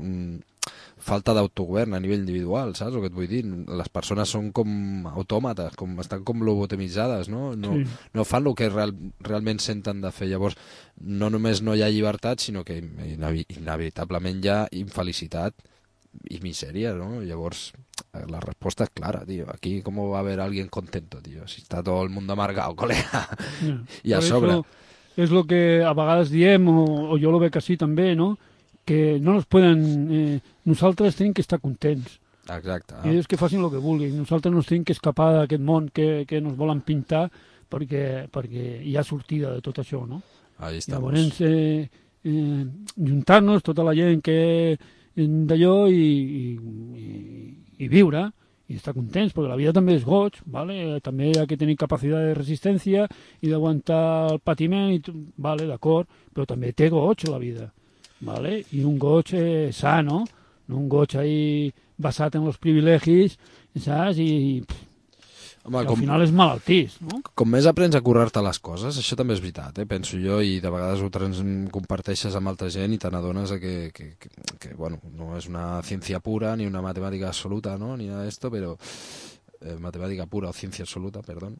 falta d'autogovern a nivell individual, saps el que et vull dir? Les persones són com autòmates, com, estan com lobotemitzades, no? No, sí. No fan el que real, realment senten de fer. Llavors, no només no hi ha llibertat, sinó que inevitablement hi ha infelicitat i misèria, no? Llavors, la resposta és clara, tío. Aquí, com va haver alguien contento, tío? Si està tot el món amargado, colega. Yeah. I a sobre... És el que a vegades diem, o, o jo lo veig així també, no? Que no nos pueden... Eh, nosaltres tenim que estar contents. Exacte. I ells que facin el que vulguin. Nosaltres nos tenim que escapar d'aquest món que, que nos volen pintar perquè, perquè hi ha sortida de tot això, no? Ahí estamos. Llavors, eh, eh, juntar-nos, tota la gent que d'allò i, i, i viure i estar contents, perquè la vida també és goig, ¿vale? També hi ha que tenir capacitat de resistència i d'aguantar el patiment, i, vale, d'acord, però també té goig la vida. ¿Vale? I un goig eh, sano, no un goig ahí basat en els privilegis, saps? I, Home, i al com, final és malaltís, no? Com més aprens a currar-te les coses, això també és veritat, eh? Penso jo, i de vegades ho trans, comparteixes amb altra gent i te n'adones que, que, que, que, bueno, no és una ciència pura ni una matemàtica absoluta, no? Ni nada d'esto, però... Eh, matemàtica pura o ciència absoluta, perdó.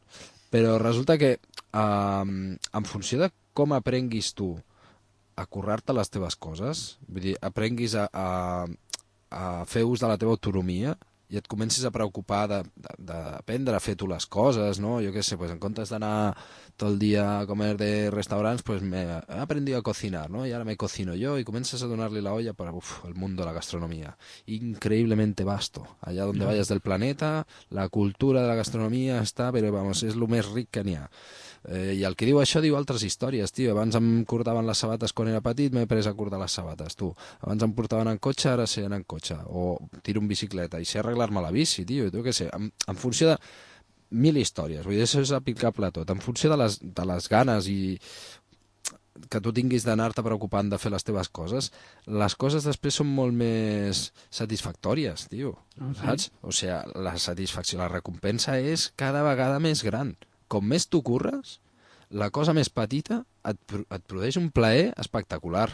Però resulta que eh, en funció de com aprenguis tu a currar-te les teves coses, vull dir, aprenguis a, a, a fer ús de la teva autonomia i et comencis a preocupar d'aprendre a fer tu les coses, no? Jo què sé, pues en comptes d'anar tot el dia a comer de restaurants, pues me he aprendido a cocinar, ¿no? Y ahora me cocino yo y comienzas a donarle la olla para uf, el mundo de la gastronomía. Increíblemente vasto. Allá donde vayas del planeta, la cultura de la gastronomía està, però vamos, és el més ric que n'hi ha. Eh, I el que diu això diu altres històries, tio. Abans em cordaven les sabates quan era petit, m'he pres a cordar les sabates, tu. Abans em portaven en cotxe, ara sé anar en cotxe. O tiro en bicicleta i sé arreglar-me la bici, tio. Tu què sé, en, en funció de mil històries. Vull dir, això és aplicable a tot. En funció de les, de les ganes i que tu tinguis d'anar-te preocupant de fer les teves coses, les coses després són molt més satisfactòries, tio. Oh, sí? Saps? O sigui, la satisfacció, la recompensa és cada vegada més gran. Com més tu curres, la cosa més petita et, et produeix un plaer espectacular.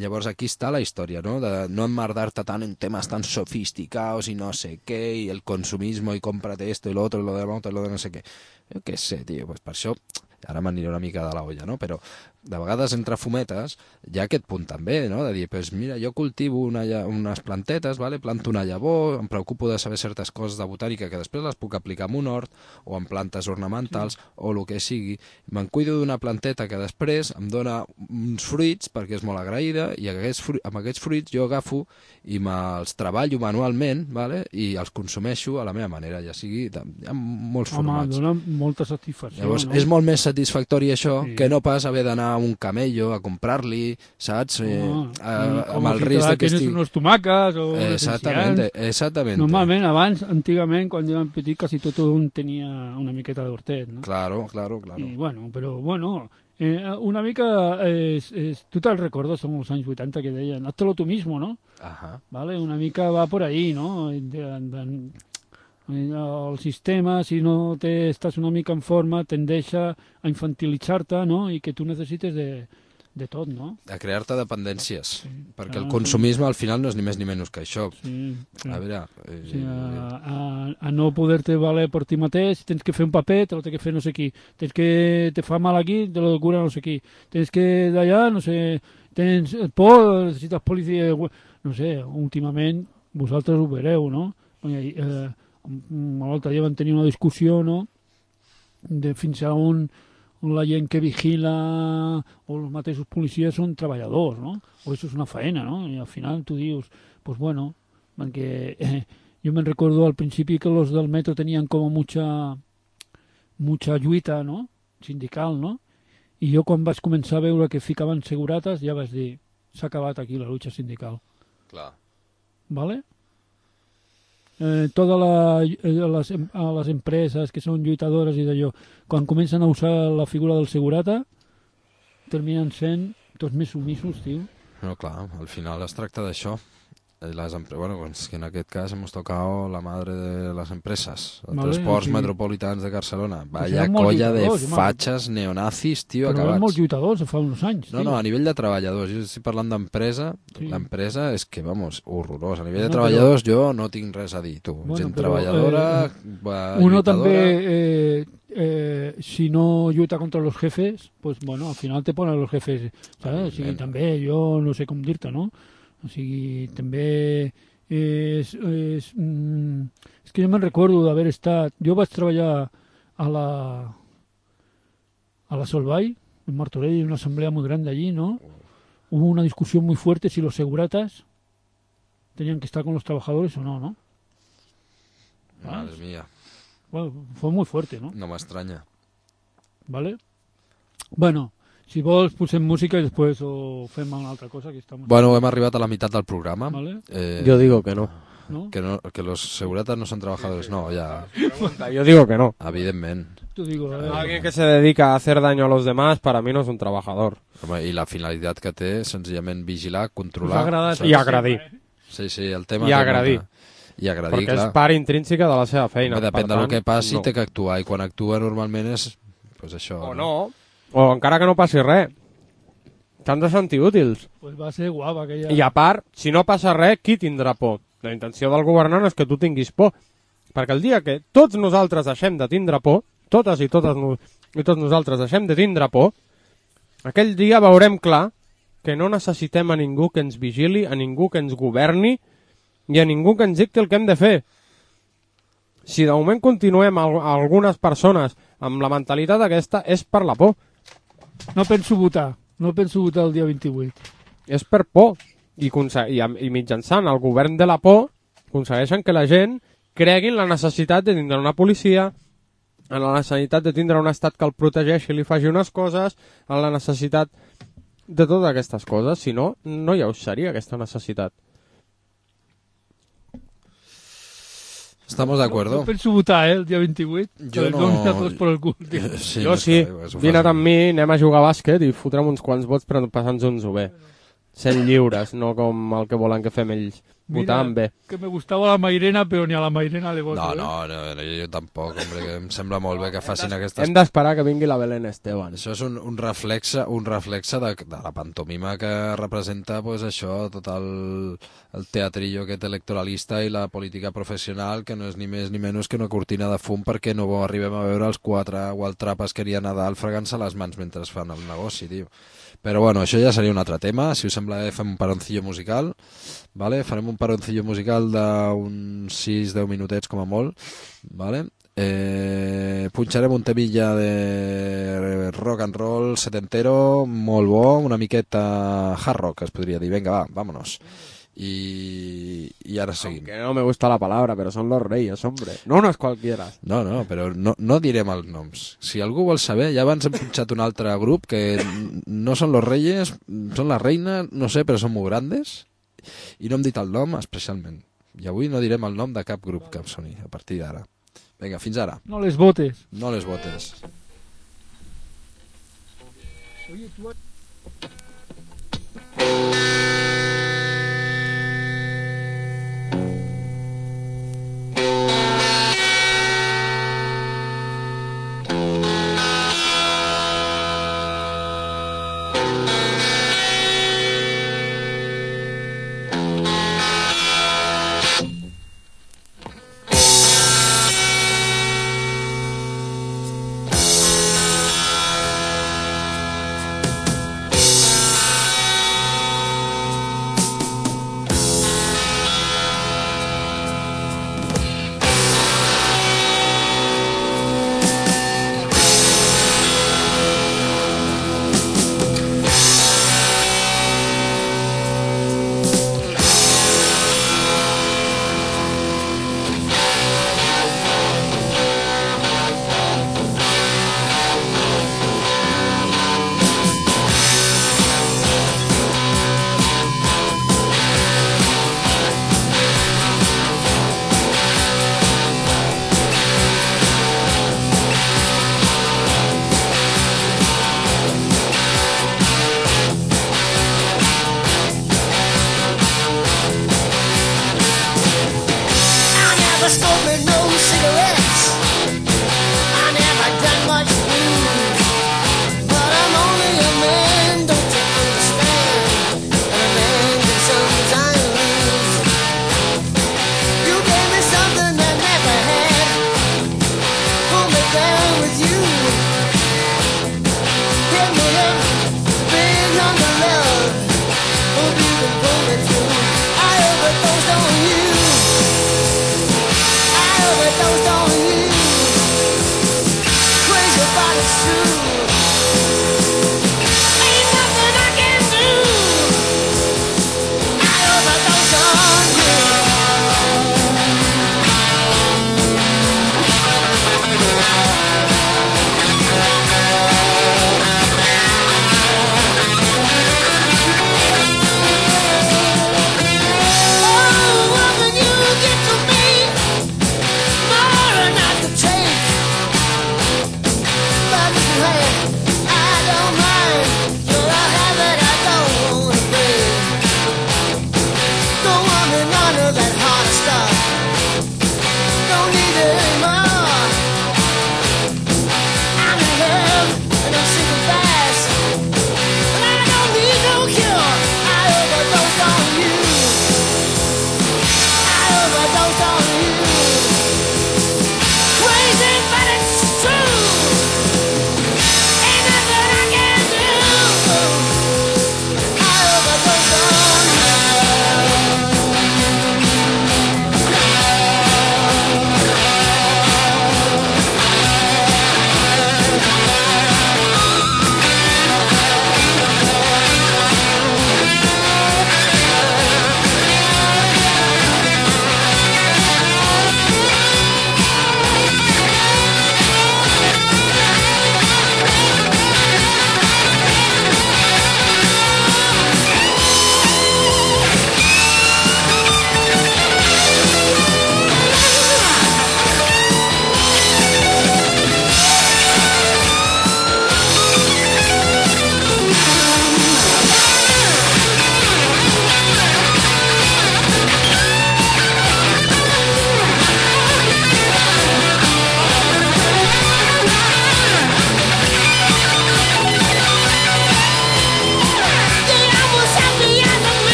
Llavors aquí està la història, no? De no emmerdar-te tant en temes tan sofisticados i no sé què, i el consumismo, i cómprate esto y lo otro, y lo de l'altre, y lo de no sé què. Jo què sé, tio, pues per això, ara m'aniré una mica de la olla, no? Però de vegades entre fumetes hi ha aquest punt també, no? De dir, pues mira, jo cultivo una, unes plantetes, vale? Planto una llavor, em preocupo de saber certes coses de botànica que després les puc aplicar en un hort o en plantes ornamentals, sí, o el que sigui. Me'n cuido d'una planteta que després em dona uns fruits perquè és molt agraïda, i aquests fruits, amb aquests fruits jo agafo i me'ls treballo manualment, vale? I els consumeixo a la meva manera, ja sigui, hi ha molts Home, formats. Home, dona molta satisfacció. Llavors, no? És molt més satisfactori això, sí, que no pas haver d'anar a un camello a comprar-li, saps? Eh, oh, a, amb el risc de que estigui... unes tomàques o exactament, exactament. Normalment, abans, antigament, quan jo era petit, quasi tot un tenia una miqueta d'hortet, no? Claro, claro, claro. I, bueno, però, bueno, eh, una mica, és, és, tu te'l recordes, som els anys vuitanta que deien, hazlo tu mismo, no? Ajá. Vale, una mica va por ahí, no? De, de, el sistema, si no te estàs una mica en forma, tendeix a infantilitzar-te, no? I que tu necessites de, de tot, no? A crear-te dependències, sí, perquè ah, el consumisme al final no és ni més ni menys que això. Sí, sí. A veure... Eh, sí, a, a, a no poder-te valer per ti mateix, tens que fer un paper, te lo té que fer no sé qui, tens que te fa mal aquí, te lo cura no sé qui, tens que d'allà, no sé, tens por, necessites policia, no sé, últimament vosaltres ho veureu, no? Eh, l'altre dia vam tenir una discussió, no?, de fins a on la gent que vigila o els mateixos policies són treballadors, no? O això és una faena, no? I al final tu dius, pues bueno, perquè eh, jo me'n recordo al principi que los del metro tenien com mucha mucha lluita, no?, sindical, no? I jo quan vaig començar a veure que ficaven segurates ja vaig dir, s'ha acabat aquí la lucha sindical. Clar. ¿Vale? Eh, totes la, eh, les, a les empreses que són lluitadores i d'allò, quan comencen a usar la figura del segurata, terminen sent tots més sumissos, tio. No, clar, al final es tracta d'això. Les empre... bueno, és que en aquest cas hemos tocado la madre de les empreses, els vale, transports sí. metropolitans de Barcelona. Pues Vaya colla de home. fatxes neonazis, tio, Però acabats. eren molts lluitadors fa uns anys. No, tio. no, a nivell de treballadors. Jo estic parlant d'empresa. Sí. L'empresa és que, vamos, horrorós. A nivell No, de treballadors jo no tinc res a dir, tu. Bueno, Gent però, treballadora, eh, va, uno lluitadora... també, eh, eh, si no lluita contra los jefes, pues bueno, al final te ponen los jefes, ¿sabes? O sigui, també, jo no sé com dir-te, no? O sigui, també... És, és, mm, és que jo me'n recordo d'haver estat... Jo vaig treballar a la a la Solvay, en Martorell, una assemblea muy grande allí, ¿no? Hubo una discusión muy fuerte si los seguratas tenían que estar con los trabajadores o no, ¿no? Madre mía. Bueno, fue muy fuerte, ¿no? No m'estranya. ¿Vale? Bueno, si vols posem música i després o fem una altra cosa que estamos... Bueno, hem arribat a la meitat del programa. Vale. Eh, Yo digo que no. ¿No? Que, no, que los seguratas no son trabajadores, no, ya. Yo digo que no. Evidentment. Tú digo, eh, Alguien que se dedica a hacer daño a los demás, para mí no es un trabajador. Home, i la finalitat que té, senzillament vigilar, us ha controlar... agradat I agredir. Sí, sí, el tema... I té agredir. molta- I agredir, Perquè clar. és part intrínseca de la seva feina. Home, depèn per del tant, que passi, no. té que actuar, i quan actua normalment és... Pues això, O no, o encara que no passi res. T'han de sentir útils. pues va a ser guapa aquella... I a part, si no passa res, qui tindrà por? La intenció del governant és que tu tinguis por. Perquè el dia que tots nosaltres deixem de tindre por, totes i totes no, i tots nosaltres deixem de tindre por, aquell dia veurem clar que no necessitem a ningú que ens vigili, a ningú que ens governi i a ningú que ens dicti el que hem de fer. Si de moment continuem a algunes persones amb la mentalitat aquesta, és per la por. No penso votar, no penso votar el dia vint-i-vuit. És per por. I, i, i mitjançant el govern de la por aconsegueixen que la gent cregui en la necessitat de tindre una policia, en la necessitat de tindre un estat que el protegeixi i li faci unes coses, en la necessitat de totes aquestes coses. Si no, no hi seria aquesta necessitat. Estamos de acuerdo. No penso votar, eh, el dia vint-i-vuit. Jo no... Donin a tots per el cul, tio. Sí, Jo més sí, que res, ho vine fas amb mi, anem a jugar a bàsquet i fotrem uns quants vots per passar-nos-ho bé. Sent lliures, no com el que volen que fem ells. Votant bé. Que me gustava la Mairena, però ni a la Mairena le voto. No, eh? no, no, no, jo tampoc, hombre, que em sembla molt bé que facin aquestes... Hem d'esperar que vingui la Belén Esteban. Això és un, un reflexe, un reflexe de, de la pantomima que representa pues, això, tot el, el teatrillo aquest electoralista i la política professional, que no és ni més ni menys que una cortina de fum perquè no arribem a veure els quatre gualtrapes que hi ha a Nadal fregant-se les mans mentre fan el negoci, tio. Però bueno, això ja seria un altre tema. Si us sembla bé, fem un paroncillo musical, vale? Farem un paroncillo musical d'uns sis deu minutets com a molt, vale? Eh, punxarem un temilla de rock and roll setentero, molt bo, una miqueta hard rock, es podria dir. Vinga, va, vámonos. Y, y ara seguim. Que no me gusta la palabra, pero son los reyes, hombre. No, no és qualquiera. No, no, però no, no direm els noms. Si algú vol saber, ja abans hem punxat un altre grup que no són los reyes, són la reina, no sé, però són molt grandes i no hem dit el nom especialment. I avui no direm el nom de cap grup que em soni a partir d'ara. Vinga, fins ara. No les votes. No les votes. Oye, tú...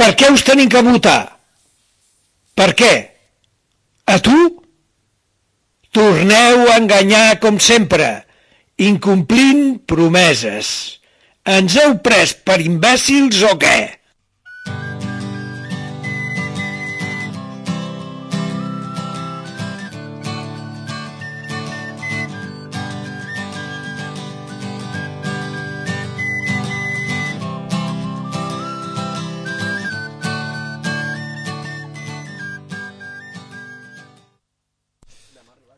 Per què us tenim que votar? Per què? A tu? Torneu a enganyar com sempre, incomplint promeses. Ens heu pres per imbècils o què?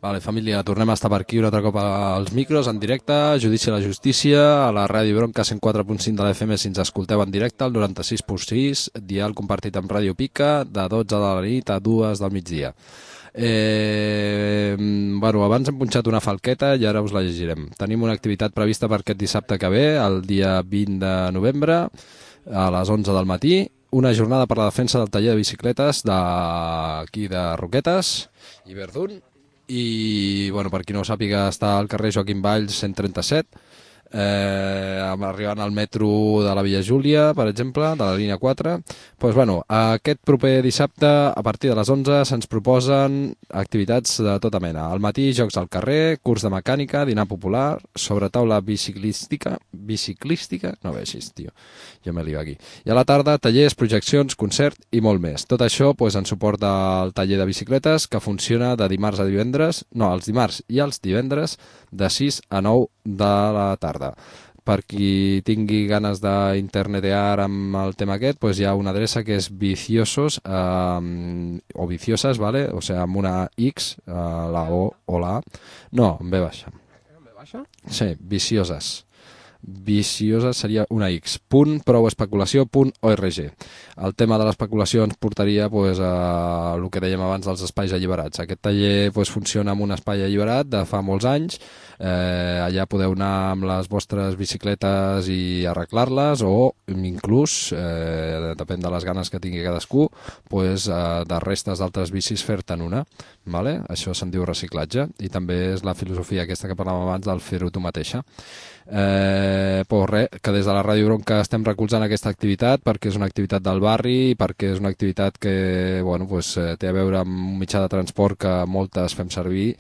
Vale, família, tornem a estar per aquí un altre cop als micros, en directe, Judici a la Justícia, a la Ràdio Bronca cent quatre punt cinc de l'F M si ens escolteu en directe, al noranta-sis punt sis, dial compartit amb Ràdio Pica, de dotze de la nit a dues del migdia. Eh, bueno, abans hem punxat una falqueta i ara us la llegirem. Tenim una activitat prevista per aquest dissabte que ve, el dia vint de novembre, a les onze del matí, una jornada per la defensa del taller de bicicletes d'aquí de Roquetes i Verdun. I, bueno, per qui no ho sàpiga, està al carrer Joaquim Valls cent trenta-set, eh, arribant al metro de la Villa Júlia, per exemple, de la línia quatre. Pues, bueno, aquest proper dissabte, a partir de les onze, se'ns proposen activitats de tota mena. Al matí, jocs al carrer, curs de mecànica, dinar popular, sobre taula biciclística, biciclística, no vegis, tio, jo me lio aquí. I a la tarda, tallers, projeccions, concert i molt més. Tot això pues, en suport del taller de bicicletes, que funciona de dimarts a divendres, no, els dimarts i els divendres, de sis a nou de la tarda. Per qui tingui ganes d'internetear amb el tema aquest, pues hi ha una adreça que és viciosos eh, o vicioses, ¿vale? O sea, amb una X, eh, la O o la A. No, amb B baixa. Amb B baixa? Sí, vicioses. Viciosa seria una X, punt prou especulació punt org. El tema de l'especulació ens portaria pues, a el que dèiem abans dels espais alliberats. Aquest taller pues, funciona en un espai alliberat de fa molts anys. Eh, allà podeu anar amb les vostres bicicletes i arreglar-les o inclús, eh, depèn de les ganes que tingui cadascú, pues, eh, de restes d'altres bicis fer-te'n una. Vale? Això se'n diu reciclatge i també és la filosofia aquesta que parlàvem abans del fer-ho tu mateixa. Eh, pues res, que des de la Ràdio Bronca estem recolzant aquesta activitat perquè és una activitat del barri, perquè és una activitat que bueno, pues, eh, té a veure amb un mitjà de transport que moltes fem servir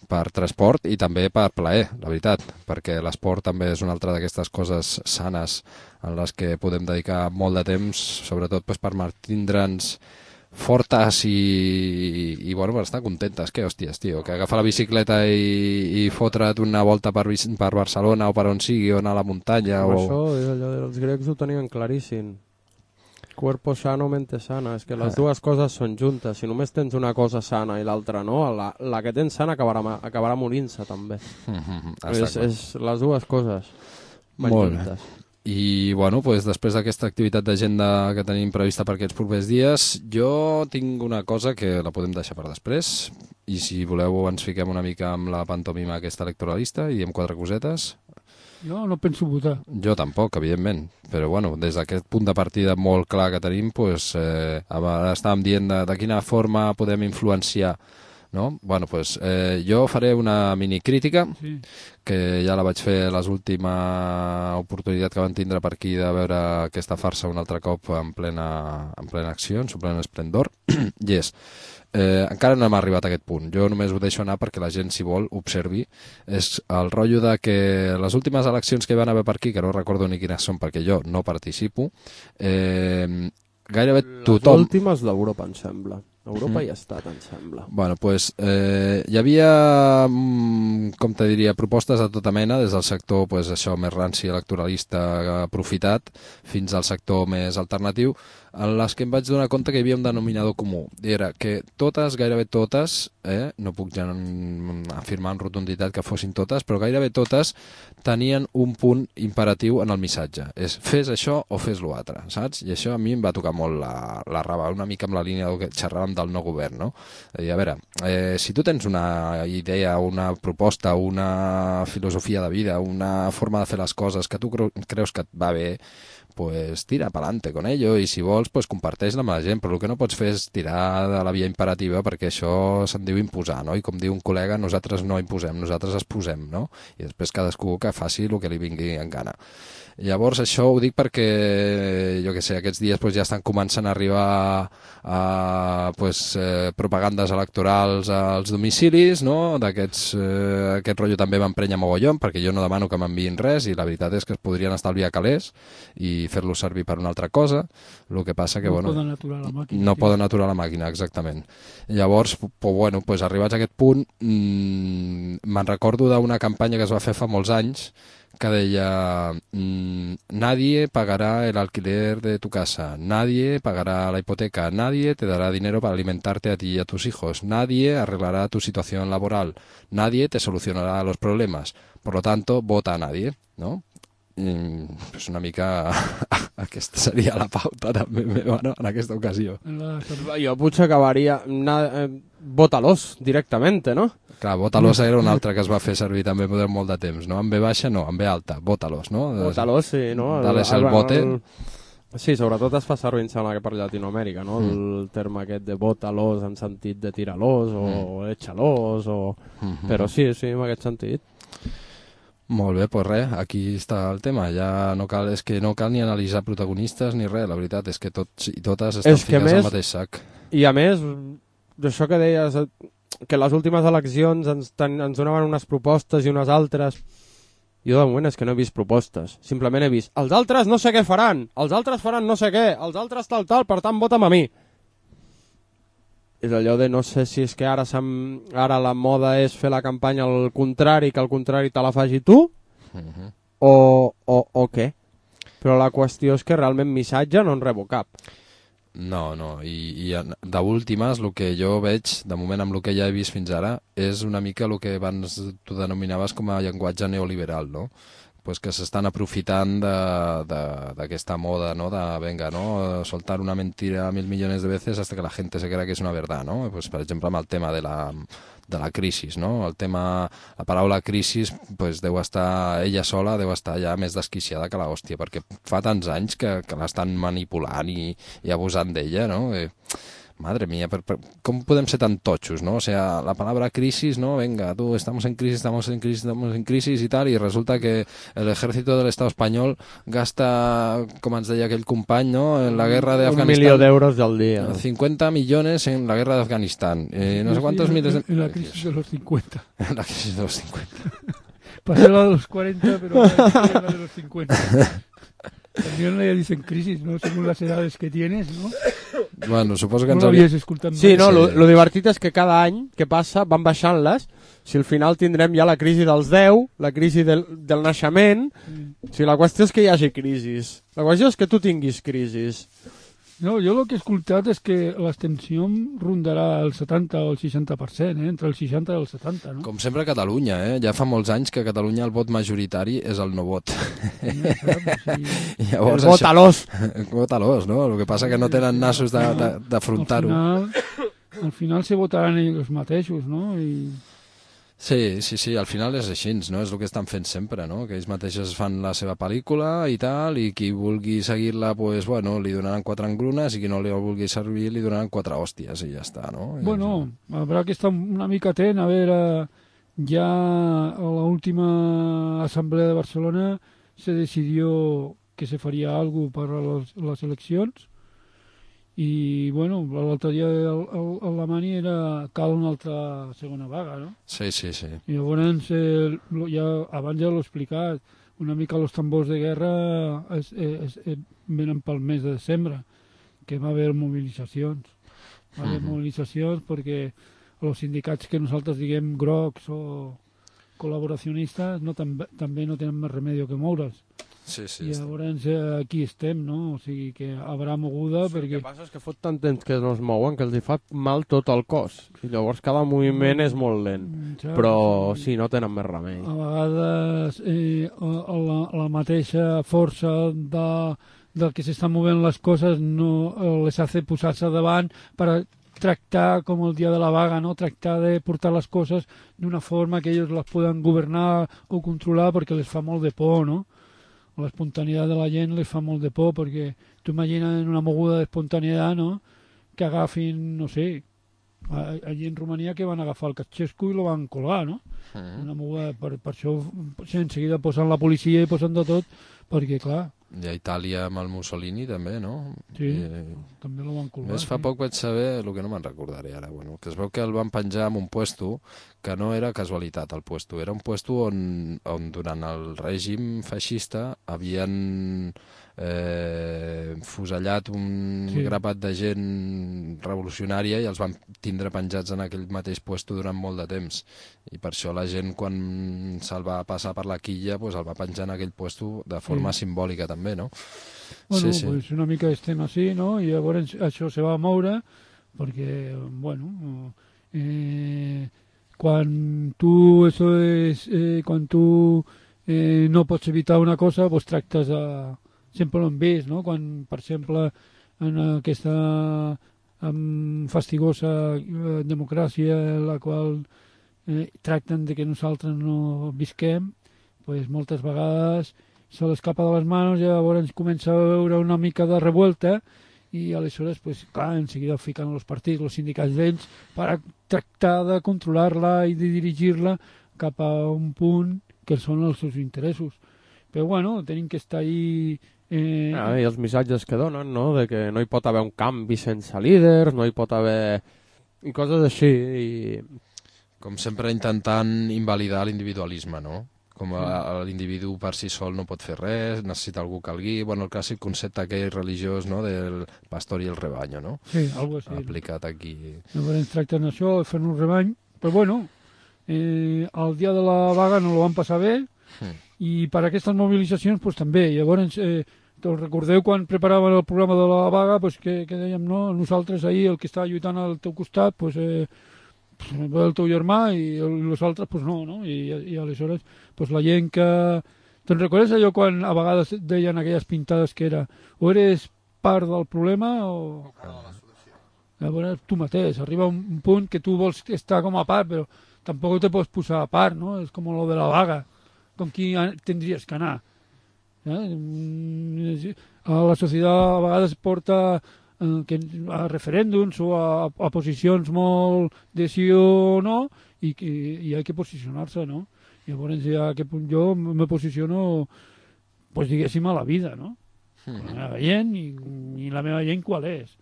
per transport i també per plaer, la veritat, perquè l'esport també és una altra d'aquestes coses sanes en les que podem dedicar molt de temps, sobretot pues, per mantindre'ns fortes i, i bueno, per estar contentes. Què, hòsties, tio, que agafar la bicicleta i, i fotre't una volta per, per Barcelona o per on sigui, o anar a la muntanya o... o... Això, allò, els grecs ho tenien claríssim. Cuerpo sano, mente sana. És que les dues coses són juntes. Si només tens una cosa sana i l'altra no, la, la que tens sana acabarà, acabarà morint-se també. Mm-hmm, és, és les dues coses van molt juntes. Bé. I bueno, pues, després d'aquesta activitat d'agenda que tenim prevista per aquests propers dies, jo tinc una cosa que la podem deixar per després, i si voleu ens fiquem una mica amb la pantomima aquesta electoralista i diem quatre cosetes. Jo no penso votar. Jo tampoc, evidentment, però bueno, des d'aquest punt de partida molt clar que tenim, pues, eh, ara estàvem dient de, de quina forma podem influenciar, no? Bueno, pues, eh, jo faré una minicrítica, sí, que ja la vaig fer l'última oportunitat que van tindre per aquí de veure aquesta farsa un altre cop en plena, en plena acció, en su pleno esplendor, i és, eh, encara no hem arribat a aquest punt, jo només ho deixo anar perquè la gent, si vol, observi, és el rotllo de que les últimes eleccions que hi van haver per aquí, que no recordo ni quines són perquè jo no participo, eh, gairebé tothom... Les últimes d'Europa, em sembla. Europa mm. hi ha estat, em sembla. Bueno, pues, eh, hi havia, com te diria, propostes de tota mena, des del sector, pues, això, més ranci electoralista aprofitat, fins al sector més alternatiu, en les que em vaig donar compte que hi havia un denominador comú. I era que totes, gairebé totes, eh, no puc ja afirmar en rotunditat que fossin totes, però gairebé totes tenien un punt imperatiu en el missatge. És fes això o fes l'altre, saps? I això a mi em va tocar molt la, la raba, una mica amb la línia del que xerràvem del no govern, no? I a veure, eh, si tu tens una idea, una proposta, una filosofia de vida, una forma de fer les coses que tu creus que et va bé, pues tira pa'lante con ello, i si vols, pues comparteix-la amb la gent, però el que no pots fer és tirar de la via imperativa, perquè això se'n diu imposar, no? I com diu un col·lega, nosaltres no imposem, nosaltres es posem, no? I després cadascú que faci el que li vingui en gana. Llavors això ho dic perquè, jo què sé, aquests dies pues, ja estan començant a arribar a pues, eh, propagandes electorals als domicilis, no? D'aquests, eh, aquest rotllo també m'emprenya mogollon, perquè jo no demano que m'enviïn res i la veritat és que es podrien estalviar calés i fer-lo servir per una altra cosa, el que passa que... No bueno, poden aturar la màquina. No tio. poden aturar la màquina, exactament. Llavors, pues, bueno, pues, arribats a aquest punt, mmm, me'n recordo d'una campanya que es va fer fa molts anys que deia mmm, nadie pagará el alquiler de tu casa, nadie pagará la hipoteca, nadie te dará dinero para alimentarte a ti y a tus hijos, nadie arreglará tu situación laboral, nadie te solucionará los problemas, por lo tanto, vota a nadie, ¿no? I, pues una mica aquesta seria la pauta també meva, no? En aquesta ocasió. La... Jo potser acabaria... Na, eh, Vótalos directamente, no? Clar, Vótalos era un altre que es va fer servir també durant molt de temps, no? En B baixa no, en B alta, Vótalos, no? Vótalos, sí, no? Dales el bote. El... Sí, sobretot es fa servir, em sembla que per Llatinoamèrica, no? Mm. El terme aquest de vótalos en sentit de tirar-los o mm. échalos, o... Mm-hmm. Però sí, sí, en aquest sentit. Molt bé, doncs res, aquí està el tema. Ja no cal, és que no cal ni analitzar protagonistes ni res, la veritat és que tots i totes estan ficats al mateix sac. I a més, d'això que deies, que les últimes eleccions ens, ten, ens donaven unes propostes i unes altres, jo de moment és que no he vist propostes, simplement he vist els altres no sé què faran, els altres faran no sé què, els altres tal tal, per tant vota'm a mi. És allò de no sé si és que ara, ara la moda és fer la campanya al contrari, que al contrari te la faci tu, uh-huh. o, o, o què? Però la qüestió és que realment missatge no en rebo cap. No, no, i, i d'últimes el que jo veig, de moment amb el que ja he vist fins ara, és una mica el que abans tu denominaves com a llenguatge neoliberal, no? Pues que s'estan aprofitant d'aquesta moda, ¿no? De, venga, ¿no? Soltar una mentira mil millones de veces hasta que la gente se crea que es una verdad, ¿no? Pues, per exemple, amb el tema de la, de la crisi, ¿no? El tema, la paraula crisi, pues, deu estar, ella sola deu estar ja més desquiciada que l'hòstia, perquè fa tants anys que, que l'estan manipulant i, i abusant d'ella, no? Eh, Madre mía, per, per, ¿cómo podem ser tan tochos, no? O sea, la palabra crisis, ¿no? Venga, tú, estamos en crisis, estamos en crisis, estamos en crisis y tal, y resulta que el ejército del Estado español gasta, com ens deia aquell company, ¿no? En la guerra de Afganistán. Un milió d'euros al dia. cincuenta millones en la guerra de Afganistán. Eh, no sé cuántos sí, miles... En, en la crisis de los cincuenta. En la crisis de los cincuenta. Pasé la de los cuarenta, pero la de los cincuenta. También le dicen crisis, ¿no? Según las edades que tienes, ¿no? Bueno, suposo que no ens hauria... Sí, no, lo, lo divertit és que cada any que passa van baixant-les, si al final tindrem ja la crisi dels deu, la crisi del, del naixement, mm. O sigui, la qüestió és que hi hagi crisis, la qüestió és que tu tinguis crisis. No, jo el que he escoltat és que l'extensió rondarà el setanta o el seixanta per cent, eh? Entre el seixanta i el setanta, no? Com sempre a Catalunya, eh? Ja fa molts anys que a Catalunya el vot majoritari és el no vot. Ja saps, sí. Llavors, el vot-a-los. Vot-a-los, no? El que passa que no tenen nassos d'afrontar-ho. Al final, al final se votaran ells mateixos, no? I... Sí, sí, sí, al final és així, no? És el que estan fent sempre, no? Que ells mateixos fan la seva pel·lícula i tal, i qui vulgui seguir-la, pues, bueno, li donaran quatre engrunes, i qui no li vulgui servir li donaran quatre hòsties, i ja està, no? Bueno, habrá que estar una mica atent, a veure, ya a la última asamblea de Barcelona se decidió que se faria algo para los, les eleccions, i, bueno, l'altre dia l'Alemany era cal una altra segona vaga, no? Sí, sí, sí. I llavors, eh, ja, abans ja l'ho he explicat, una mica els tambors de guerra es, es, es, venen pel mes de desembre, que va haver mobilitzacions. Va haver uh-huh. mobilitzacions perquè els sindicats que nosaltres diguem grocs o col·laboracionistes no, també, també no tenen més remei que moure's. Sí, sí, i llavors aquí estem, no? O sigui que haurà moguda sí, perquè... El que passa és que fot tant temps que no es mouen que els hi fa mal tot el cos i llavors cada moviment és molt lent, ja, però sí. sí, no tenen més remei. A vegades eh, la, la mateixa força de, del que s'estan movent les coses no les hace posar-se davant per tractar com el dia de la vaga, no? Tractar de portar les coses d'una forma que ells les poden governar o controlar perquè les fa molt de por, no? l'espontaneïtat de la gent les fa molt de por, perquè tu imagines una moguda d'espontaneïtat, no?, que agafin, no sé, allí en Romania que van agafar el Ceausescu i lo van colgar, no? Mm. Una moguda, per, per això en seguida posen la policia i posen de tot, perquè clar... I a Itàlia amb el Mussolini també, no? Sí, I, també lo van colgar. Més fa sí. poc vaig saber, el que no me'n recordaré ara, bueno, que es veu que el van penjar en un puesto que no era casualitat el puesto, era un puesto on, on durant el règim feixista havien eh, fusellat un Sí. grapat de gent revolucionària i els van tindre penjats en aquell mateix puesto durant molt de temps. I per això la gent, quan se'l va passar per la quilla, pues, el va penjar en aquell puesto de forma Sí. simbòlica també, no? Bueno, sí, sí. pues una mica estem així, no? I llavors això se va moure perquè, bueno, eh, quan tu, eso és, eh, quan tu eh, no pots evitar una cosa, pues tractes a... Sempre ho hem vist, no? Quan, per exemple, en aquesta um, fastigosa eh, democràcia en la qual eh, tracten de que nosaltres no visquem, pues moltes vegades se l'escapa de les mans i llavors comença a veure una mica de revuelta i aleshores, pues, clar, en seguida fiquen els partits, els sindicats d'ells, per tractar de controlar-la i de dirigir-la cap a un punt que són els seus interessos. Però, bueno, tenim que estar ahí... Eh... Ah, I els missatges que donen, no?, de que no hi pot haver un canvi sense líders, no hi pot haver... i coses així. I... Com sempre intentant invalidar l'individualisme, no? Com a, l'individu per si sol no pot fer res, necessita algú que el guiï, bueno, el clàssic concepte aquell religiós, no?, del pastor i el rebaño, no? Sí, algo així. Aplicat aquí. Llavors tracten això, fent un rebany, però bueno, eh, el dia de la vaga no lo van passar bé, mm. i per aquestes mobilitzacions pues, també. Llavors, eh, te'l recordeu quan preparaven el programa de la vaga, pues, que, que dèiem, no, nosaltres ahir, el que està lluitant al teu costat, pues, eh, el teu germà i els altres pues no, no? I, i aleshores pues la gent que... Te'n recordes allò quan a vegades deien aquelles pintades que era o eres part del problema o... Llavors tu mateix, arriba un, un punt que tu vols estar com a part, però tampoc te pots posar a part, no? És com lo de la vaga, com qui tindries que anar. Eh? A la societat a vegades porta que a referèndums o a, a posicions molt de sí o no i, i, i ha que posicionar-se, no? Llavors ja que jo me posiciono pues diguéssim a la vida, no? Mm-hmm. La meva gent i, i la meva gent qual és?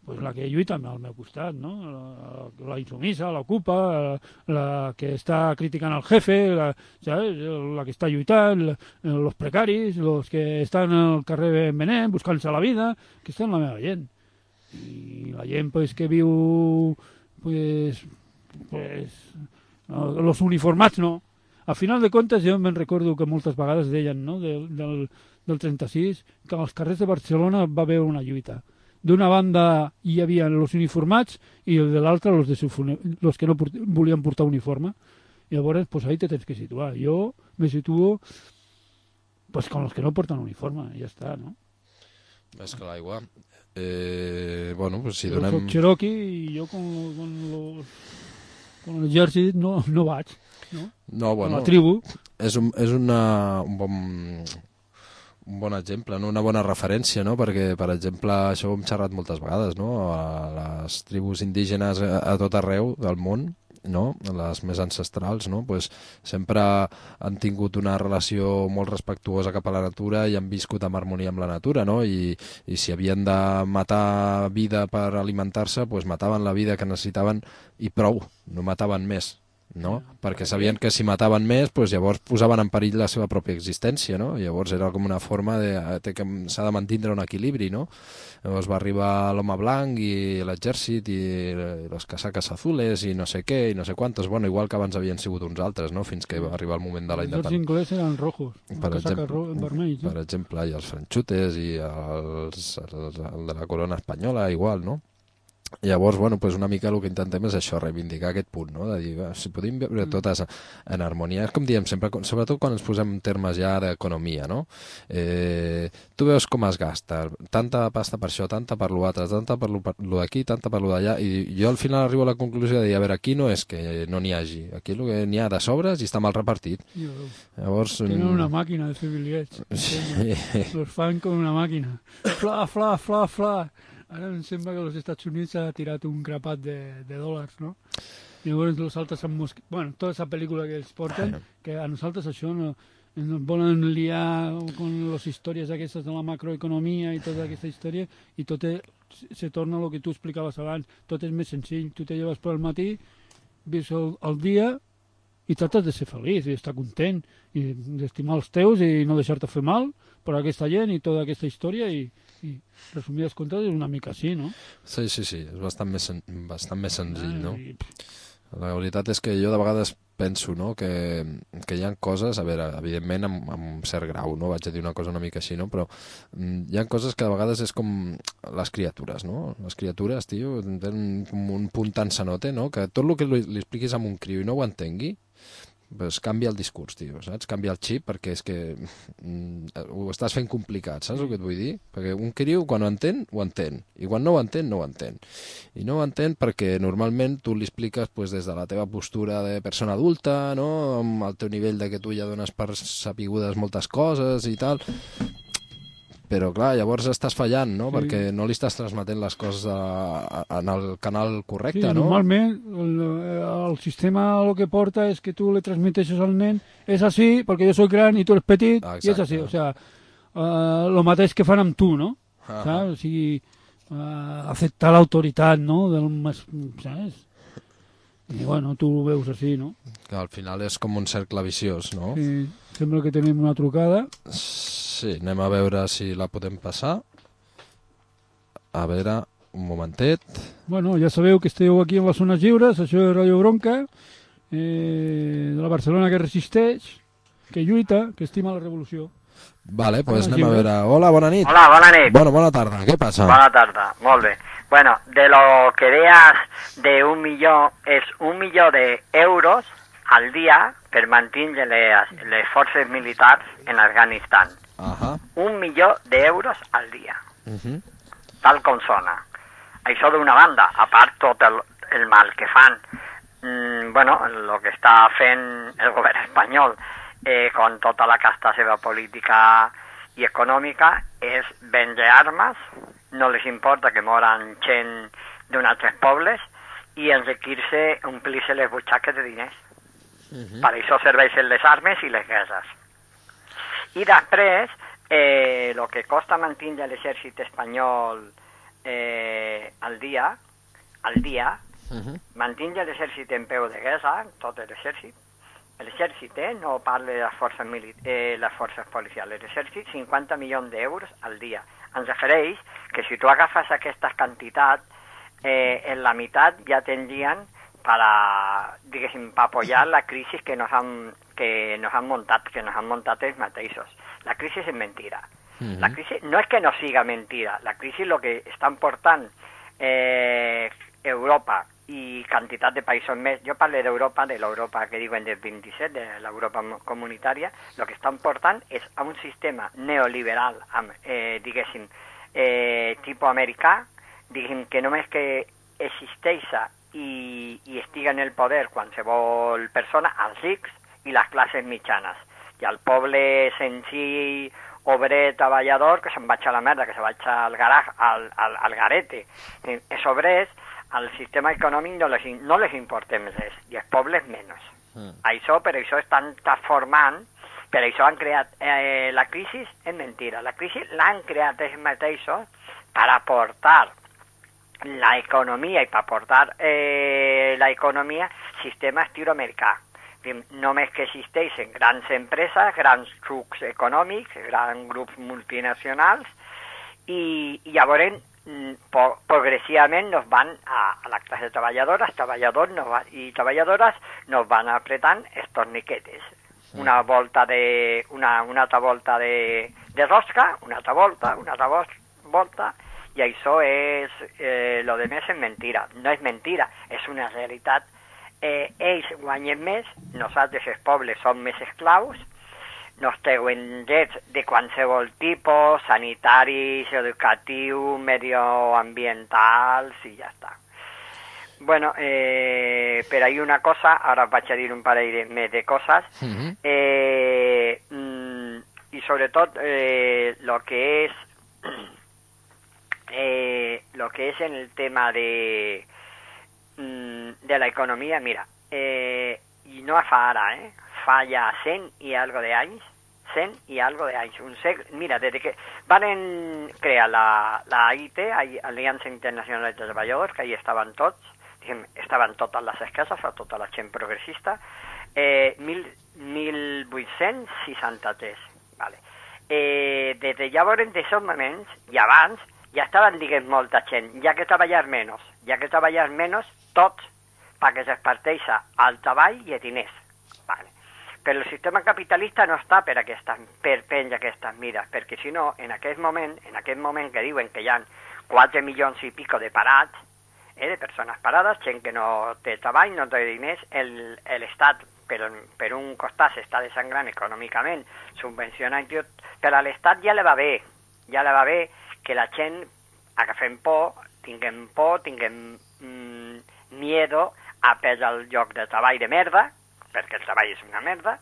Pues la que lluita al meu costat, no? La, la insumisa, l'ocupa, la, la que està criticant al jefe, la, ¿sabes? La que està lluitant, la, los precaris, los que estan al carrer venent, buscant-se la vida, que estan la meva gent. I la gent pues, que viu pues, pues, no, los uniformats no. Al final de comptes jo me'n recordo que moltes vegades deien, no, del, del, del trenta-sis que als carrers de Barcelona va haver una lluita. D'una banda hi havia els uniformats i de l'altra els, els que no port volien portar uniforme. I llavors pues, ahí te tens que situar. Jo me situo pues, con los que no porten uniforme, ja està, no? És que l'aigua... Eh, bueno, pues si jo donem... soc Cherokee i jo con, con, los, con l'exèrcit no, no vaig, no? No, bueno, con la tribu. És, un, és una, un, bon, un bon exemple, no? Una bona referència, no? Perquè, per exemple, això ho hem xerrat moltes vegades, no? A les tribus indígenes a, a tot arreu del món, no? Les més ancestrals, no? Pues sempre han tingut una relació molt respectuosa cap a la natura i han viscut en harmonia amb la natura, no? I, i si havien de matar vida per alimentar-se, pues mataven la vida que necessitaven i prou, no mataven més, no? Perquè sabien que si mataven més, pues llavors posaven en perill la seva pròpia existència, no? Llavors era com una forma de... que s'ha de mantindre un equilibri, no? Llavors va arribar l'home blanc i l'exèrcit i les casaques azules i no sé què i no sé quantos, bueno, igual que abans havien sigut uns altres, no? Fins que va arribar el moment de la independència. Els inglesos eren rojos, per casaques exemple, vermells. Per exemple, i els franxutes i els, els, el de la corona espanyola, igual, no? Llavors, bueno, pues una mica el que intentem és això, reivindicar aquest punt, no? De dir, va, si podem viure totes en harmonia, és com diem sempre, sobretot quan ens posem en termes ja d'economia, no? Eh, tu veus com es gasta, tanta pasta per això, tanta per l'altre, tanta per lo d'aquí, tanta per lo d'allà, i jo al final arribo a la conclusió de dir, a veure, aquí no és que no n'hi hagi, aquí el que n'hi ha de sobres i està mal repartit. Llavors... Tenen una màquina de fer bitllets. Sí. Los fan com una màquina. Fla, fla, fla, fla. Ara em sembla que als Estats Units ha tirat un grapat de, de dòlars, no? I llavors nosaltres amb mosqui... Bueno, tota aquesta pel·lícula que els porten, que a nosaltres això no, ens volen liar con les històries aquestes de la macroeconomia i tota aquesta història, i tot és, se torna el que tu explicaves abans, tot és més senzill. Tu te lleves per al matí, ves el, el dia i tractes de ser feliç i estar content i d'estimar els teus i no deixar-te fer mal per aquesta gent i tota aquesta història i, i resumides comptes és una mica així, no? Sí, sí, sí, és bastant més, sen bastant més senzill, no? I... La veritat és que jo de vegades penso, no?, que, que hi ha coses, a veure, evidentment amb, amb un cert grau, no?, vaig a dir una cosa una mica així, no?, però mm, hi ha coses que de vegades és com les criatures, no? Les criatures, tio, tenen com un punt tan sanote, no?, que tot el que li, li expliquis a un criu i no ho entengui, pues canvia el discurs, tio, saps? Canvia el xip, perquè és que mm, ho estàs fent complicat, saps el que et vull dir? Perquè un criu, quan ho entén, ho entén, i quan no ho entén, no ho entén. I no ho entén perquè normalment tu li expliques pues, des de la teva postura de persona adulta, no?, amb el teu nivell de que tu ja dones per sapigudes moltes coses i tal, però clar, llavors estàs fallant, no?, sí. Perquè no li estàs transmetent les coses a, a, en el canal correcte, sí, no? Normalment el, el sistema el que porta és que tu le transmeteixes al nen és així, perquè jo soc gran i tu eres petit, ah, i és així, o sea, uh, lo mateix que fan amb tu, no? Ah, saps? O sigui, uh, acceptar l'autoritat, no?, del més, saps? I bueno, tu ho veus així, no? Que al final és com un cercle viciós, no? Sí, sembla que tenim una trucada. Sí, anem a veure si la podem passar. A veure, un momentet. Bueno, ja sabeu que esteu aquí en les zones lliures, això és Radio Bronca, eh, de la Barcelona que resisteix, que lluita, que estima la revolució. Vale, doncs pues anem a veure. Hola, bona nit. Hola, bona nit. Bueno, bona tarda, què passa? Bona tarda, molt bé. Bueno, de lo que veas de un millón, es un millón de euros al día per mantenir les, les forces militars en Afganistán. Uh-huh. Un millón de euros al dia. Uh-huh. Tal com sona. Això d'una banda, a part tot el, el mal que fan, mm, bueno, el que està fent el govern espanyol eh, con tota la casta seva política i econòmica és vendre armes, no les importa que moran gent d'un altres pobles i enriquir-se, omplir-se les butxaques de diners. Uh-huh. Per això serveixen les armes i les guerres. I després, eh, el que costa mantenir l'exèrcit espanyol eh, al dia, al dia, uh-huh. mantenir l'exèrcit en peu de guerra, tot l'exèrcit, l'exèrcit, eh, no parle de les forces, eh, les forces policials, l'exèrcit, cinquanta milions d'euros al dia. Ens refereix que si tu agafes aquesta quantitat, eh, en la meitat ja tindrien para, diguéssim, para apoyar la crisi que nos han que nos han montat, que nos han montat els mateixos. La crisi és mentira. Uh-huh. La crisi no és que no siga mentira, la crisi lo que estan portant eh, Europa i quantitat de països més, jo parlo d'Europa, de l'Europa que diuen del vint-i-set, de l'Europa comunitària, el que estan portant és a un sistema neoliberal, eh, diguéssim, eh, tipus americà, diguéssim que només que existeix i, i estiga en el poder qualsevol persona, els rics i les classes mitjanes. I el poble senzill, obrer, treballador, que se'n vaig a la merda, que se vaig al garaj, al, al, al garete. Els obrers, el sistema econòmic no les, no les importem res, i els pobles menys. Mm. Això, per això estan transformant, per això han creat eh, la crisi, és mentira, la crisi l'han creat ells mateixos per aportar l'economia i per aportar eh, l'economia sistema estil americà. Només que existeixen grans empreses, grans grups econòmics, grans grups multinacionals i, i llavors po, progressivament nos van a, a la classe treballadora, treballadors nos va, i treballadores nos van apretant els torniquetes. Una volta de, una, una altra volta de, de rosca, una altra volta, una altra volta, i això és, eh, lo de més és mentira. No és mentira, és una realitat. Eh, ells guanyen més, nosaltres els pobles som més esclaus, nos treuen drets de qualsevol tipus, sanitaris, educatius, medioambientals i ja està. Bueno, eh, per ahí una cosa, ara vaig a dir un parell de, més de coses, uh-huh. eh, mm, i sobretot eh, lo que és eh, lo que és en el tema de mm, de la economia, mira, eh, i no fa ara, eh, fa ja cent i algo de anys, cent i algo de anys, un segle, mira, des que van crear la, la A I T, Aliança Internacional de Treballadors, que ahí estaven tots, diguem, estaven totes les esquerres, tota la gent progressista, eh, mil vuit-cents seixanta-tres, vale. Eh, des de llavors, en aquests moments, i abans, ja estaven, diguem, molta gent, ja que treballar menys, ja que treballar menys, tots, perquè es parteix al treball i a diners, vale. Però el sistema capitalista no està per, aquestes, per prendre aquestes mires, perquè si no, en aquest moment, en aquest moment que diuen que hi ha quatre milions i pico de parats, eh, de persones parades, gent que no té treball, no té diners, l'Estat per, per un costat s'està desangrant econòmicament, subvencionant tot, però a l'Estat ja le va bé, ja le va bé que la gent agafem por, tinguem por, tinguem mm, miedo a perdre el lloc de treball de merda, perquè el treball és una merda,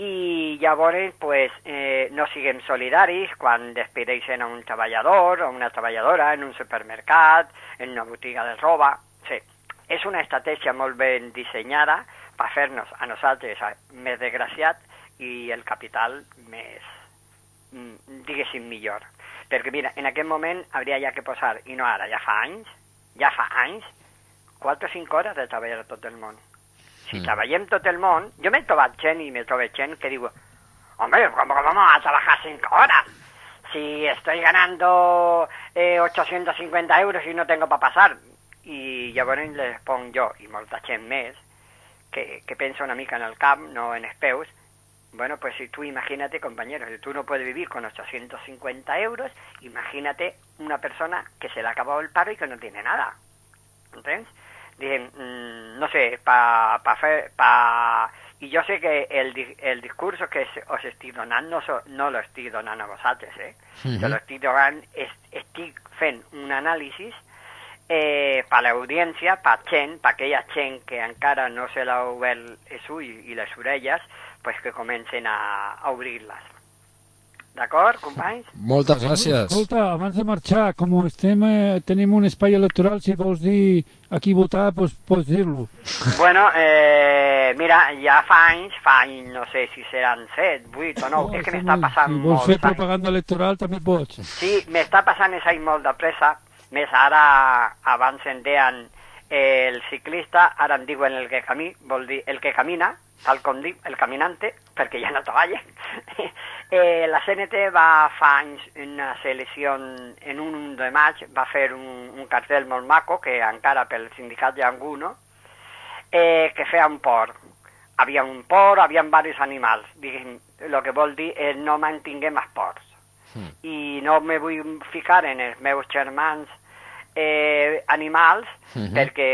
i llavors pues, eh, no siguem solidaris quan despedeixen a un treballador o una treballadora en un supermercat, en una botiga de roba. Sí, és una estratègia molt ben dissenyada per fer-nos a nosaltres més desgraciats i el capital més, diguéssim, millor. Perquè mira, en aquest moment hauria ja que posar, i no ara, ja fa anys, ja fa anys, quatre o cinc hores de treballar a tot el món. Si mm. treballem tot el món, jo m'he trobat gent i m'he trobat gent que diu, hombre, ¿cómo vamos a trabajar cinco horas? Si estoy ganando eh, ochocientos cincuenta euros y no tengo para pasar. I llavors les ponc jo, i molta gent més, que, que pensa una mica en el camp, no en els peus. Bueno, pues si tú imagínate, compañeros, si tú no puedes vivir con ochocientos cincuenta euros, imagínate una persona que se le ha acabado el paro y que no tiene nada. ¿Entiendes? Dicen, mmm, no sé, pa, pa fer, pa... I jo sé que el, el discurso que os estic donant no, so, no lo estic donant a vosaltres, eh? Uh-huh. Jo lo estic donant, est, estic fent un anàlisi eh, per l'audiència, per gent, per aquella gent que encara no se l'ha obert els ulls i les orelles, pues que comencen a, a obrir-les. D'acord, companys? Moltes gràcies. Escolta, abans de marxar, com estem, eh, tenim un espai electoral, si vols dir a qui votar, pues, pots dir-lo. Bueno, eh, mira, ja fa anys, fa anys, no sé si seran set, vuit o nou, oh, és que m'està passant si molt. Si vols fer propaganda electoral també pots. Sí, m'està passant això molt de pressa, més ara, abans en deien eh, el ciclista, ara en diuen el que camí, vol dir el que camina, tal com dic, el caminante, perquè ja no treballa. eh, la C N T va fa anys una selecció en un de maig, va fer un, un cartell molt maco, que encara pel sindicat hi ha alguno, eh, que feia un port. Havia un port, havia diversos animals. Diguem, el que vol dir és no mantinguem els ports. Mm. I no me vull ficar en els meus germans Eh, animals, uh-huh. perquè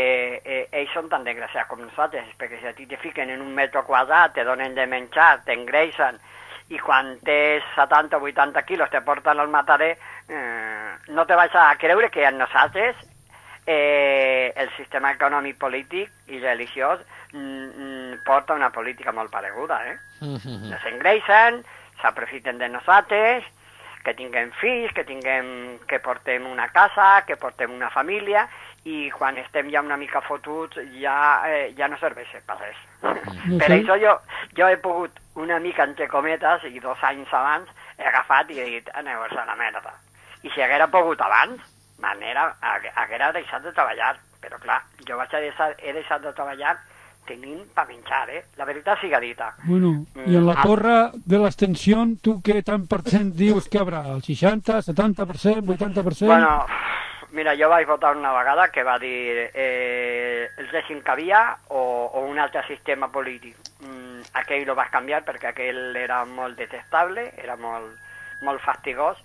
eh, ells són tan desgraciats com nosaltres, perquè si a ti te fiquen en un metro quadrat, te donen de menjar, t'engreixen, i quan tens setanta o vuitanta quilos te porten al matader, eh, no te vas a creure que a nosaltres eh, el sistema econòmic, polític i religiós mm, porta una política molt pareguda, eh? Uh-huh. Nos engreixen, s'aprofiten de nosaltres, que tinguem fills, que tinguem, que portem una casa, que portem una família, i quan estem ja una mica fotuts ja, eh, ja no serveix per res. Mm. Per això jo, jo he pogut una mica entre cometes, i dos anys abans he agafat i he dit, aneu-vos a la merda. I si haguera pogut abans, manera, haguera deixat de treballar, però clar, jo vaig a deixar, he deixat de treballar tenint per menjar, eh? La veritat siga dita. Bueno, i en la torre de l'extensió, tu què tant per cent dius que haurà? El seixanta, setanta per cent, vuitanta per cent? Bueno, mira, jo vaig votar una vegada que va dir eh, el règim que havia o, o un altre sistema polític. Mm, aquell lo vas canviar perquè aquell era molt detestable, era molt, molt fastigós,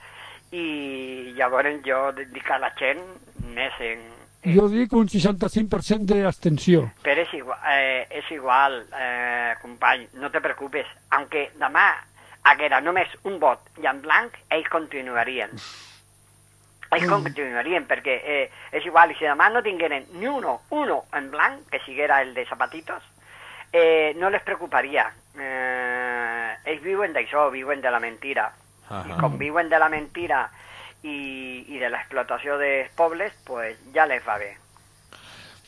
i llavors jo dic a la gent més en... Jo dic un seixanta-cinc per cent d'abstenció. Però és igual, eh, és igual eh, company, no te preocupes. Aunque demà haguera només un vot i en blanc, ells continuarien. Ells mm. continuarien, perquè eh, és igual, i si demà no tingueren ni uno, uno en blanc, que siguera el de Zapatitos, eh, no les preocuparia. Eh, ells viuen d'això, viuen de la mentira. Uh-huh. I com viuen de la mentira i, i de l'explotació dels pobles, pues ja les va bé.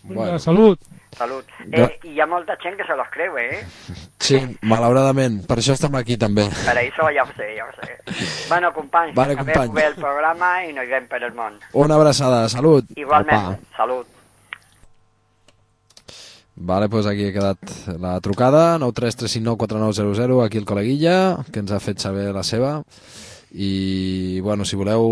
Bueno. Salut. Salut. Eh, I hi ha molta gent que se los creu, eh? Sí, malauradament. Per això estem aquí, també. Per això ja ho sé, ja ho sé. Bueno, companys, vale, acabem company. bé el programa i nos veiem per el món. Una abraçada, salut. Igualment, Opa. Salut. Vale, doncs aquí ha quedat la trucada, nou tres tres cinc nou quatre nou zero zero, aquí el col·leguilla, que ens ha fet saber la seva. I, bueno, si voleu,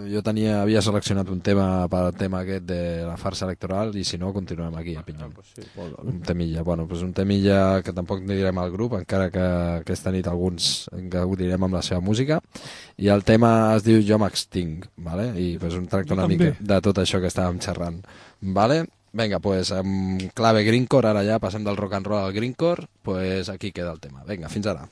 jo tenia, havia seleccionat un tema per al tema aquest de la farsa electoral, i si no, continuem aquí a Pinyol. Ah, pues sí, un temilla, bueno, pues un temilla que tampoc no direm al grup, encara que aquesta nit alguns gaudirem amb la seva música, i el tema es diu Jo m'extinc, vale? I pues un tracta una mica de tot això que estàvem xerrant, vale? Venga, pues amb clave greencore, ara ja passem del rock and roll al greencore, pues aquí queda el tema. Venga, fins ara.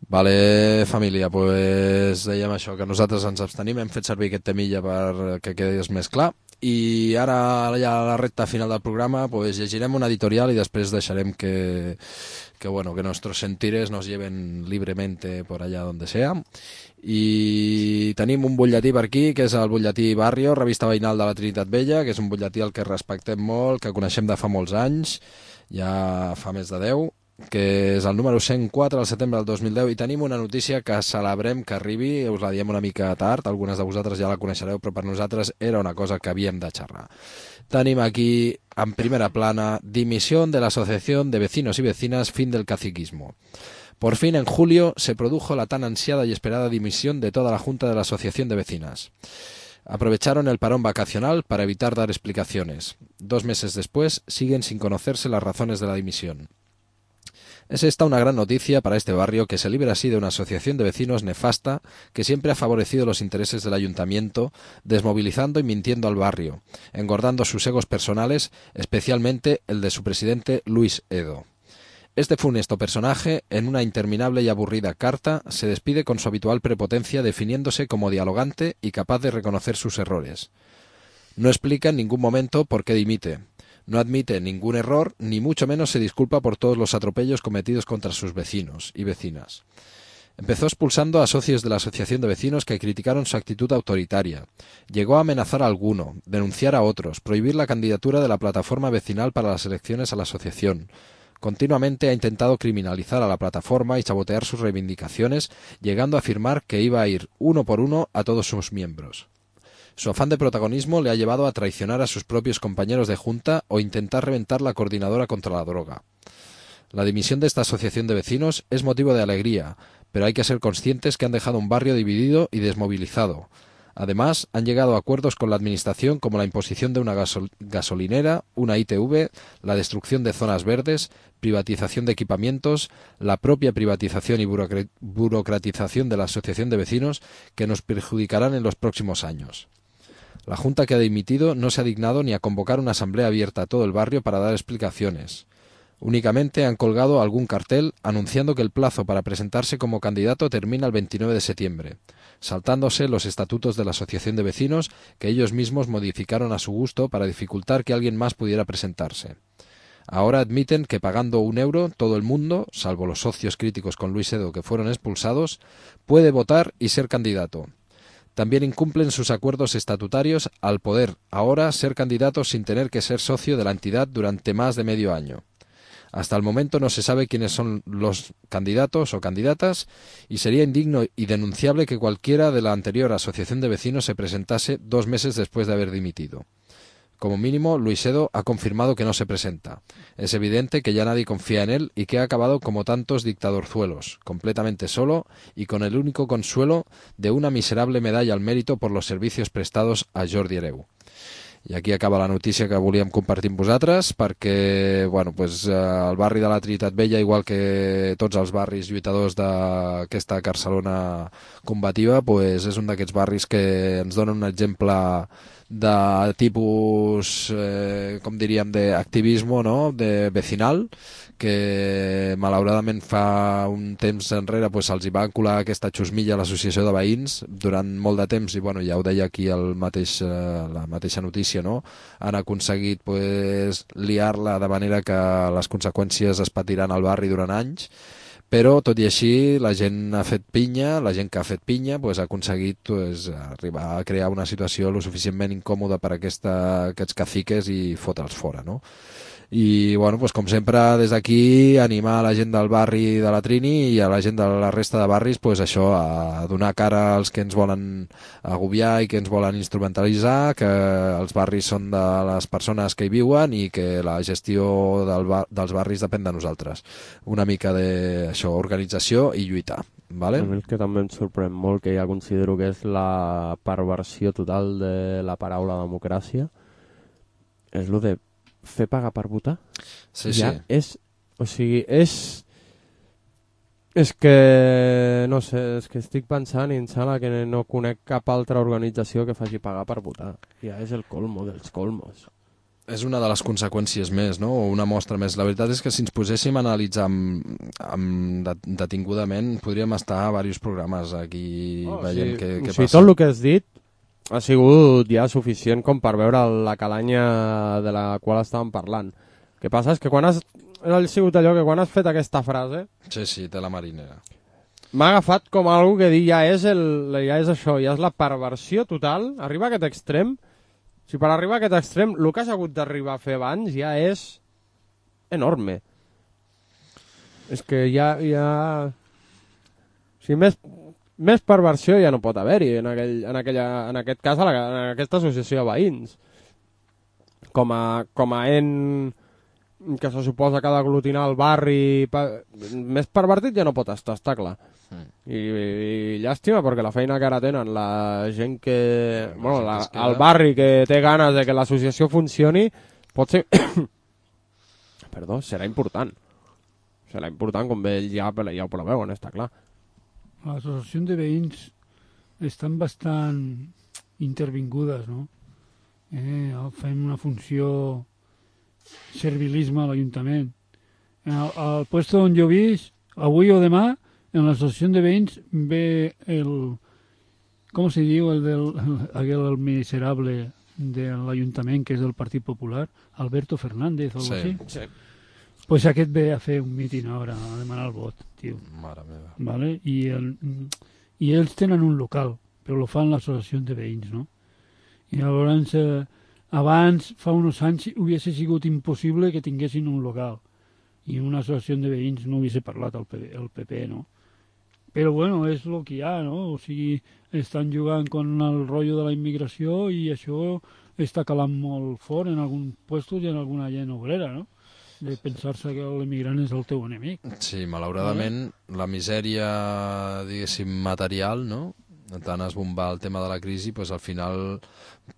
Vale, família, pues dèiem això, que nosaltres ens abstenim, hem fet servir aquest temilla perquè quedés més clar, i ara ja a la recta final del programa pues llegirem una editorial i després deixarem que, que, bueno, que nuestros sentires nos lleven libremente por allá donde sea. I tenim un butlletí per aquí, que és el butlletí Barrio, revista veïnal de la Trinitat Vella, que és un butlletí al que respectem molt, que coneixem de fa molts anys, ja fa més de deu, que és el número cent quatre al setembre del dos mil deu, i tenim una notícia que celebrem que arribi, us la diem una mica tard, algunes de vosaltres ja la coneixereu, però per nosaltres era una cosa que havíem de xerrar. Tenim aquí, en primera plana, dimisión de la Asociación de Vecinos y Vecinas, fin del caciquismo. Por fin, en julio, se produjo la tan ansiada y esperada dimisión de toda la Junta de la Asociación de Vecinas. Aprovecharon el parón vacacional para evitar dar explicaciones. Dos meses después, siguen sin conocerse las razones de la dimisión. Es esta una gran noticia para este barrio, que se libra así de una asociación de vecinos nefasta que siempre ha favorecido los intereses del ayuntamiento, desmovilizando y mintiendo al barrio, engordando sus egos personales, especialmente el de su presidente Luis Edo. Este funesto personaje, en una interminable y aburrida carta, se despide con su habitual prepotencia, definiéndose como dialogante y capaz de reconocer sus errores. No explica en ningún momento por qué dimite. No admite ningún error, ni mucho menos se disculpa por todos los atropellos cometidos contra sus vecinos y vecinas. Empezó expulsando a socios de la Asociación de Vecinos que criticaron su actitud autoritaria. Llegó a amenazar a alguno, denunciar a otros, prohibir la candidatura de la plataforma vecinal para las elecciones a la asociación. Continuamente ha intentado criminalizar a la plataforma y sabotear sus reivindicaciones, llegando a afirmar que iba a ir uno por uno a todos sus miembros. Su afán de protagonismo le ha llevado a traicionar a sus propios compañeros de junta o intentar reventar la coordinadora contra la droga. La dimisión de esta asociación de vecinos es motivo de alegría, pero hay que ser conscientes que han dejado un barrio dividido y desmovilizado. Además, han llegado a acuerdos con la administración como la imposición de una gasol- gasolinera, una I T V, la destrucción de zonas verdes, privatización de equipamientos, la propia privatización y burocr- burocratización de la asociación de vecinos que nos perjudicarán en los próximos años. La Junta que ha dimitido no se ha dignado ni a convocar una asamblea abierta a todo el barrio para dar explicaciones. Únicamente han colgado algún cartel anunciando que el plazo para presentarse como candidato termina el veintinueve de septiembre, saltándose los estatutos de la Asociación de Vecinos que ellos mismos modificaron a su gusto para dificultar que alguien más pudiera presentarse. Ahora admiten que pagando un euro todo el mundo, salvo los socios críticos con Luis Edo que fueron expulsados, puede votar y ser candidato. También incumplen sus acuerdos estatutarios al poder ahora ser candidatos sin tener que ser socio de la entidad durante más de medio año. Hasta el momento no se sabe quiénes son los candidatos o candidatas y sería indigno y denunciable que cualquiera de la anterior asociación de vecinos se presentase dos meses después de haber dimitido. Como mínimo, Luis Edo ha confirmado que no se presenta. Es evidente que ya nadie confía en él y que ha acabado como tantos dictadorzuelos, completamente solo y con el único consuelo de una miserable medalla al mérito por los servicios prestados a Jordi Hereu. I aquí acaba la notícia que volíem compartir amb vosaltres, perquè bueno, pues, eh, el barri de la Trinitat Vella, igual que tots els barris lluitadors d'aquesta Barcelona combativa, pues, és un d'aquests barris que ens donen un exemple de tipus, eh, com diríem, d'activisme, no? De vecinal, que malauradament fa un temps enrere pues, se'ls hi va colar aquesta xusmilla a l'associació de veïns durant molt de temps, i bueno, ja ho deia aquí el mateix, eh, la mateixa notícia, no? Han aconseguit pues, liar-la de manera que les conseqüències es patiran al barri durant anys, però tot i així la gent ha fet pinya, la gent que ha fet pinya pues, ha aconseguit pues, arribar a crear una situació lo suficientment incòmoda per a aquesta, aquests caciques i fotre'ls fora, no? I bueno, pues, com sempre des d'aquí animar a la gent del barri de la Trini i a la gent de la resta de barris pues, això, a donar cara als que ens volen agobiar i que ens volen instrumentalitzar, que els barris són de les persones que hi viuen i que la gestió del bar, dels barris depèn de nosaltres. Una mica d'això, organització i lluitar. Vale? A mi el que també em sorprèn molt, que ja considero que és la perversió total de la paraula democràcia, és el de fer pagar per votar. Sí, ja sí. És, o sigui, és és que no sé, és que estic pensant i em sembla que no conec cap altra organització que faci pagar per votar. Ja és el colmo dels colmos. és una de les conseqüències més, no? O una mostra més. La veritat és que si ens poséssim a analitzar amb, amb detingudament, podríem estar a diversos programes aquí oh, veient sí. què, què sí, passa. Tot el que has dit ha sigut ja suficient com per veure la calanya de la qual estàvem parlant. El que passa és que quan has... Ha sigut allò que quan has fet aquesta frase... Sí, sí, té la marinera. M'ha agafat com algo que dir ja és, el, ja és això, ja és la perversió total. Arriba a aquest extrem... Si per arribar a aquest extrem, el que has hagut d'arribar a fer abans ja és enorme. És que ja... ja... O sigui, més, més perversió ja no pot haver-hi en, aquell, en, aquella, en aquest cas, a la, en aquesta associació de veïns. Com a, com a en que se suposa que ha d'aglutinar el barri... Pa... Més pervertit ja no pot estar, està clar. Mm. I, i llàstima perquè la feina que ara tenen la gent que bueno, la, el barri que té ganes de que l'associació funcioni pot ser perdó, serà important serà important com ells ja, ja ho preveuen, està clar. Les associacions de veïns estan bastant intervingudes, no? Eh, fem una funció servilisme a l'Ajuntament. Al, al puesto on jo visc, avui o demà en l'associació de veïns ve el... Com se diu? El del aquel el miserable de l'Ajuntament, que és del Partit Popular, Alberto Fernández o sí, així. Sí. Pues aquest ve a fer un míting ara, a demanar el vot, tio. Mare meva. Vale? I, el, I ells tenen un local, però lo fan l'associació de veïns, no? I llavors, eh, abans, fa uns anys, hubiese sigut impossible que tinguessin un local. I una associació de veïns no hubiese parlat el P P, el P P, no? Però bueno, és el que hi ha, no? O sigui, estan jugant con el rotllo de la immigració i això està calant molt fort en alguns puestos i en alguna gent obrera, no? De pensar-se que l'immigrant és el teu enemic. Sí, malauradament, ¿vale? La misèria, diguéssim, material, no? Tant esbombar el tema de la crisi, pues, al final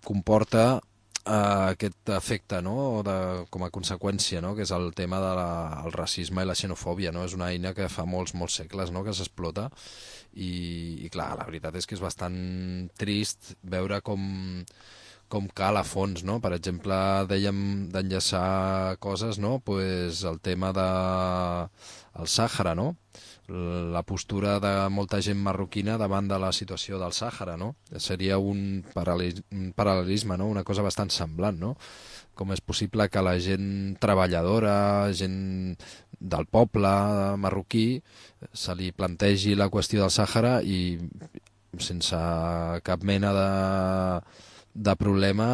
comporta Uh, aquest efecte, no? De, com a conseqüència, no? Que és el tema del de el racisme i la xenofòbia, no? És una eina que fa molts, molts segles, no? Que s'explota i, i clar, la veritat és que és bastant trist veure com, com cal a fons, no? Per exemple, dèiem d'enllaçar coses, no? Pues el tema de el Sàhara, no? La postura de molta gent marroquina davant de la situació del Sàhara, no? Seria un, paral·lis, un paral·lelisme, no? Una cosa bastant semblant, no? Com és possible que la gent treballadora, gent del poble marroquí, se li plantegi la qüestió del Sàhara i sense cap mena de, de problema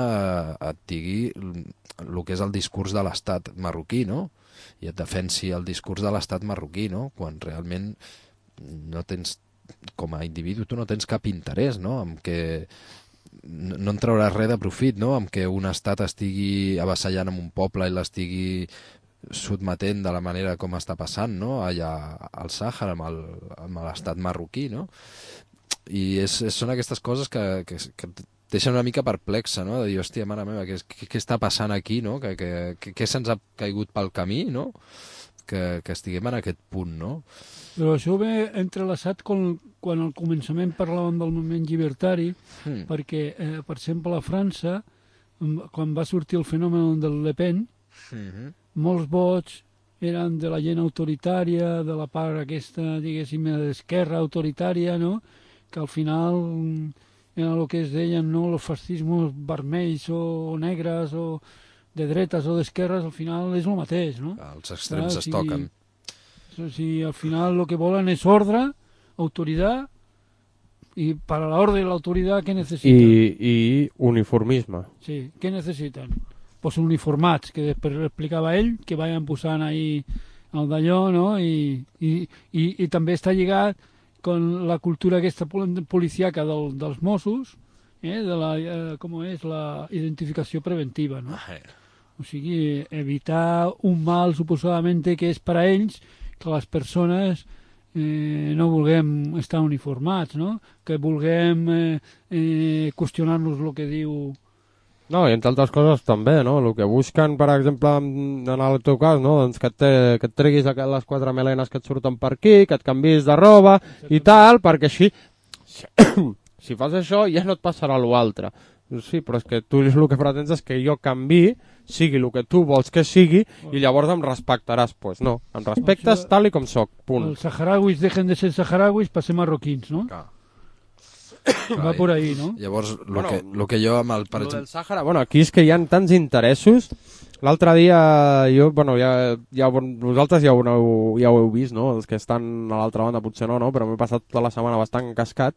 et digui el que és el discurs de l'estat marroquí, no? I et defensi el discurs de l'estat marroquí, no? Quan realment no tens, com a individu, tu no tens cap interès, no? En que no en trauràs res de profit, no? En que un estat estigui avassallant en un poble i l'estigui sotmetent de la manera com està passant, no? Allà al Sàhara, amb l'estat marroquí, no? I és, són aquestes coses que, que, que deixa una mica perplexa, no? De dir, hòstia, mare meva, què, què, què està passant aquí, no? Que, que, que, què se'ns ha caigut pel camí, no? Que, que estiguem en aquest punt, no? Però això ve entrelaçat quan, quan al començament parlàvem del moviment llibertari, mm. perquè, eh, per exemple, a França, quan va sortir el fenomen del Le Pen, mm-hmm. molts vots eren de la gent autoritària, de la part aquesta, diguéssim, d'esquerra autoritària, no? Que al final... en el que es deien, no, els fascismes vermells o negres o de dretes o d'esquerres, al final és el mateix, no? Els extrems ah, es toquen. O sigui, al final el que volen és ordre, autoritat, i per a l'ordre i l'autoritat què necessiten? I, I uniformisme. Sí, què necessiten? Pues uniformats, que després explicava ell, que vayan posant ahí el d'allò, no? I, i, i, i també està lligat con la cultura aquesta policíaca del, dels Mossos, eh, de la, eh, com és la identificació preventiva, no? O sigui, evitar un mal suposadament que és per a ells que les persones eh, no vulguem estar uniformats, no? Que vulguem eh, eh, qüestionar-nos el que diu... No, i entre altres coses també, no? El que busquen, per exemple, en el teu cas, no? Doncs que, et, que et treguis les quatre melenes que et surten per aquí, que et canvis de roba i tal, perquè així, si, si fas això ja no et passarà l'altre. Sí, però és que tu el que pretens és que jo canvi, sigui el que tu vols que sigui, i llavors em respectaràs. Doncs pues no, em respectes tal i com soc, punt. Els saharauis dejen de ser saharauis per ser marroquins, no? Clar. Va por ahí, no? Llavors, el Bueno, que, lo que jo amb el... Per Lo exemple... del Sàhara, bueno, aquí és que hi ha tants interessos. L'altre dia, jo, bueno, ja, ja, vosaltres ja ho, heu, ja ho heu vist, no? Els que estan a l'altra banda potser no, no? Però m'he passat tota la setmana bastant cascat.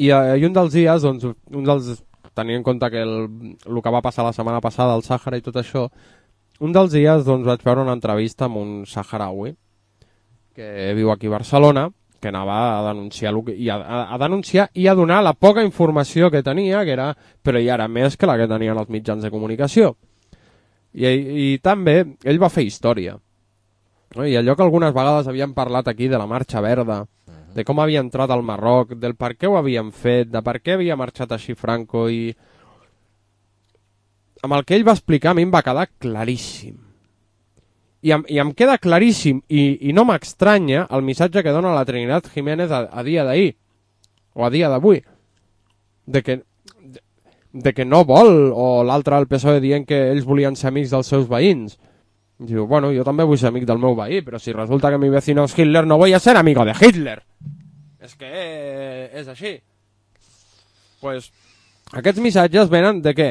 I, uh, I un dels dies, doncs, un dels, tenint en compte que el, el que va passar la setmana passada al Sàhara i tot això, un dels dies doncs, vaig veure una entrevista amb un saharaui que viu aquí a Barcelona, que anava a denunciar, que, i a, a, a denunciar i a donar la poca informació que tenia, que era, però hi era més que la que tenien els mitjans de comunicació. I, i també ell va fer història. No? I allò que algunes vegades havíem parlat aquí de la Marxa Verda, de com havia entrat al Marroc, del per què ho havien fet, de per què havia marxat així Franco, i amb el que ell va explicar a mi em va quedar claríssim. I em, i em queda claríssim, i, i no m'estranya el missatge que dona la Trinidad Jiménez a, a dia d'ahir, o a dia d'avui, de que, de, de que no vol, o l'altre al P S O E dient que ells volien ser amics dels seus veïns. Diu, bueno, jo també vull ser amic del meu veí, però si resulta que mi vecino és Hitler, no voy a ser amigo de Hitler. És que és així. Pues, aquests missatges venen de què?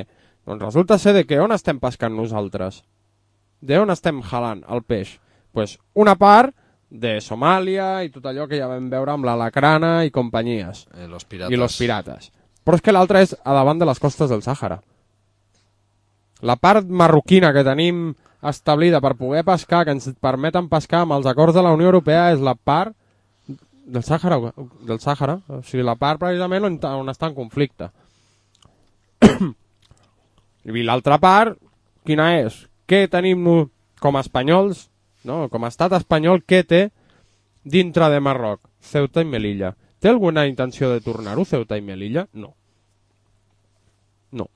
Doncs resulta ser de que on estem pescant nosaltres? De on estem jalant el peix? Pues una part de Somàlia i tot allò que ja vam veure amb la Lacrana i companyies. Eh, los pirates. I los pirates. Però és que l'altra és a davant de les costes del Sàhara. La part marroquina que tenim establida per poder pescar, que ens permeten pescar amb els acords de la Unió Europea, és la part del Sàhara, del Sàhara, o sigui, la part precisament on, on està en conflicte. I l'altra part, quina és? Què tenim com a espanyols, no? Com a estat espanyol, què té dintre de Marroc? Ceuta i Melilla. Té alguna intenció de tornar-ho, Ceuta i Melilla? No. No.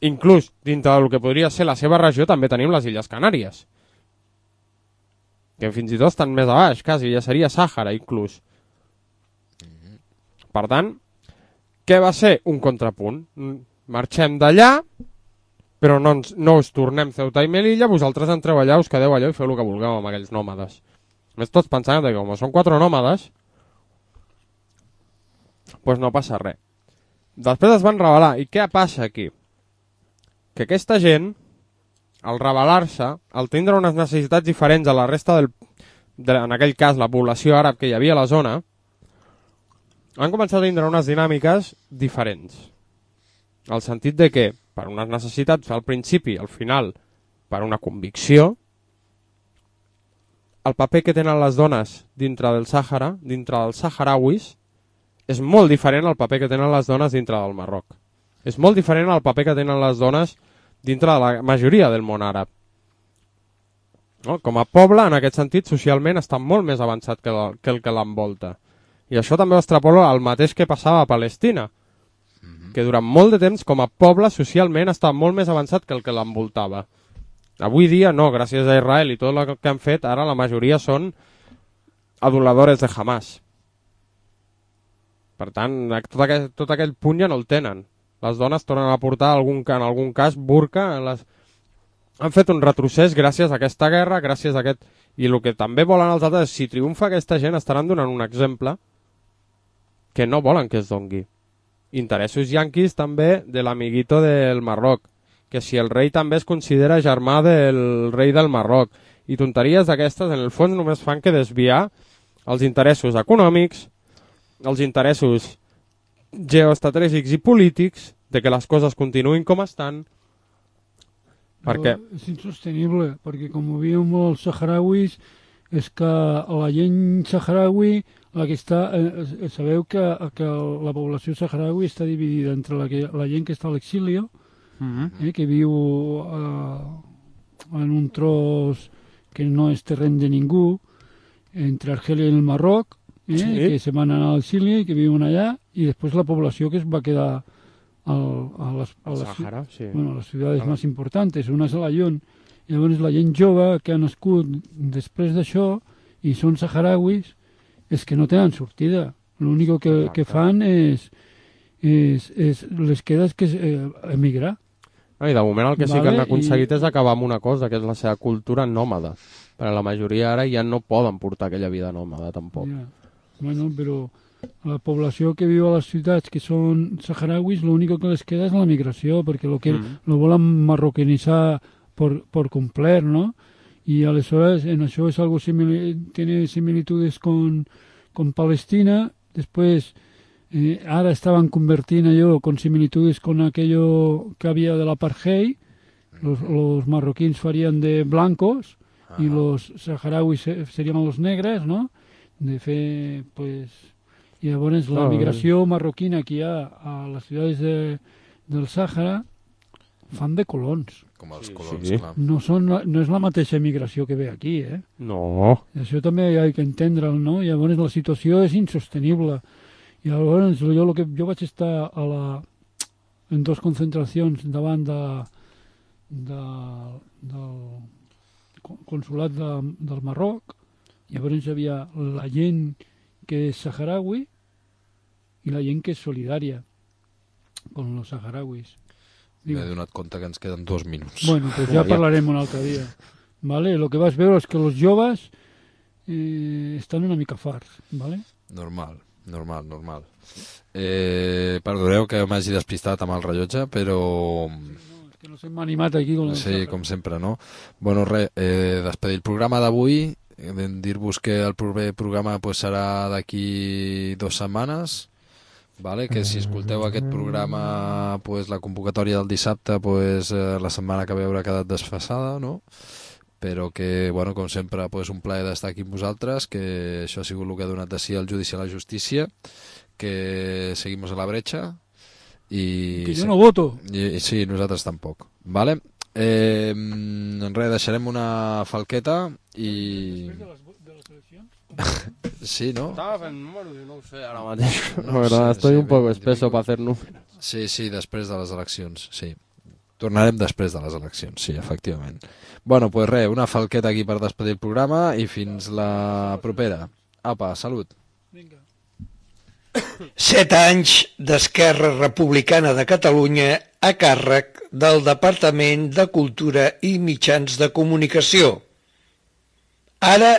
Inclús, dintre del que podria ser la seva regió, també tenim les Illes Canàries. Que fins i tot estan més a baix, quasi, ja seria Sàhara, inclús. Per tant, què va ser? Un contrapunt. Marxem d'allà, però no, ens, no us tornem Ceuta i Melilla, vosaltres entreu allà, us quedeu allà i feu el que vulgueu amb aquells nòmades. Més tots pensant que com són quatre nòmades, doncs no passa res. Després es van rebel·lar. I què passa aquí? Que aquesta gent, al rebel·lar-se, al tindre unes necessitats diferents a la resta del, de, en aquell cas, la població àrab que hi havia a la zona, han començat a tindre unes dinàmiques diferents. Al sentit de que, per unes necessitats al principi, al final, per una convicció, el paper que tenen les dones dintre del Sàhara, dintre dels saharauis, és molt diferent al paper que tenen les dones dintre del Marroc. És molt diferent al paper que tenen les dones dintre de la majoria del món àrab. No? Com a poble, en aquest sentit, socialment, està molt més avançat que, la, que el que l'envolta. I això també ho extrapola al mateix que passava a Palestina, que durant molt de temps, com a poble, socialment, està molt més avançat que el que l'envoltava. Avui dia, no, gràcies a Israel i tot el que han fet, ara la majoria són aduladores de Hamas. Per tant, tot aquell, tot aquell punt ja no el tenen. Les dones tornen a portar, algun, en algun cas, burca. Les... Han fet un retrocés gràcies a aquesta guerra, gràcies a aquest... I el que també volen els altres, si triomfa aquesta gent, estaran donant un exemple que no volen que es dongui. Interessos yanquis també de l'amiguito del Marroc, que si el rei també es considera germà del rei del Marroc. I tonteries d'aquestes, en el fons, només fan que desviar els interessos econòmics, els interessos geoestratègics i polítics, de que les coses continuïn com estan, perquè... És insostenible, perquè com ho veiem els saharauis, és que la gent saharaui, la que està, eh, sabeu que, que la població saharaui està dividida entre la, que, la gent que està a l'exili, mm-hmm. eh, que viu eh, en un tros que no és terreny de ningú, entre Argèlia i el Marroc, eh, sí. que se van anar a l'exili i que viuen allà, i després la població que es va quedar al, a, les, a, les, Sahara, sí. bueno, a les ciutats ah. més importants. Una és a la Lyon. I llavors la gent jove que ha nascut després d'això i són saharauis, és que no tenen sortida. L'únic que, que fan és, és, és les quedes que és eh, emigrar. I de moment el que sí que Vale, han aconseguit i- és acabar amb una cosa, que és la seva cultura nòmada. Però la majoria ara ja no poden portar aquella vida nòmada, tampoc. Ja. Bueno, però la població que viu a les ciutats, que són saharauis, l'únic que les queda és la migració, perquè lo que Mm. lo volen marroquinitzar por, por complet, ¿no? Y aleshores en això es algo simil tiene similitudes con, con Palestina. Después, eh, ahora estaban convirtiendo yo con similitudes con aquello que había del apartheid. Los, los marroquíes farían de blancos y los saharauis se- serían los negres, ¿no? De fe, pues... Y llavors la Ah, migració marroquina que hi ha a les ciutats de, del Sàhara fan de colons. Com els Sí, colons, sí. clar. No, són, no és la mateixa migració que ve aquí, eh? No. Això també hi ha que entendre'l, no? Llavors la situació és insostenible. I llavors jo, lo que, jo vaig estar a la, en dos concentracions davant de, de, del consulat de, del Marroc. Llavors hi havia la gent que és saharaui i la gent que és solidària con los saharauis. M'he donat compte que ens queden dos minuts. Bueno, pues ya Ja. parlarem un altre dia. ¿Vale? Lo que vas veure és que los joves eh, estan una mica farts, ¿vale? Normal, normal, normal. Eh, perdoneu que m'hagi despistat amb el rellotge, però... No, és que no s'hem animat aquí con el Sí, Sahara. com sempre, no? Bueno, res, eh, despedir el programa d'avui, eh, dir-vos que el proper programa pues, serà d'aquí dues setmanes, vale? Que si escolteu aquest programa, pues, la convocatòria del dissabte, pues, eh, la setmana que ve haurà quedat desfasada, no? Però que, bueno, com sempre, pues, un plaer d'estar aquí amb vosaltres, que això ha sigut el que ha donat de si al judici a la justícia, que seguimos a la brecha i... Que jo no voto. I, sí, nosaltres tampoc. Vale? Eh, res, deixarem una falqueta i... Després de les, de les eleccions? Sí, no? Estaba fent números i no ho sé ara mateix. No La verdad, sé, estoy sí, un poco veinte espeso pico. para hacer números. Sí, sí, després de les eleccions, sí. Tornarem després de les eleccions, sí, efectivament. Bueno, pues res, una falqueta aquí per despedir el programa i fins la propera. Apa, salut. Vinga. Set anys d'Esquerra Republicana de Catalunya a càrrec del Departament de Cultura i Mitjans de Comunicació. Ara,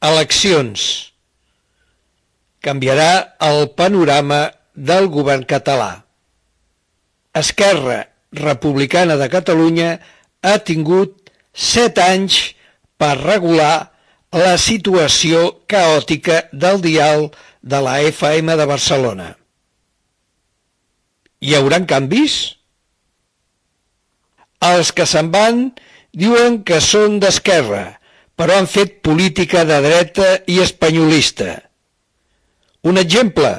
eleccions. Canviarà el panorama del govern català. Esquerra Republicana de Catalunya ha tingut set anys per regular la situació caòtica del dial de la F M de Barcelona. Hi haurà canvis? Els que se'n van diuen que són d'esquerra, però han fet política de dreta i espanyolista. Un exemple,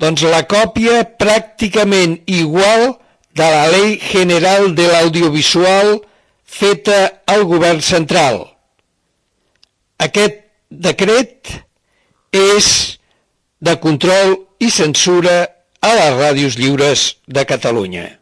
doncs la còpia pràcticament igual de la Ley General de l'Audiovisual feta al govern central. Aquest decret és de control i censura a les ràdios lliures de Catalunya.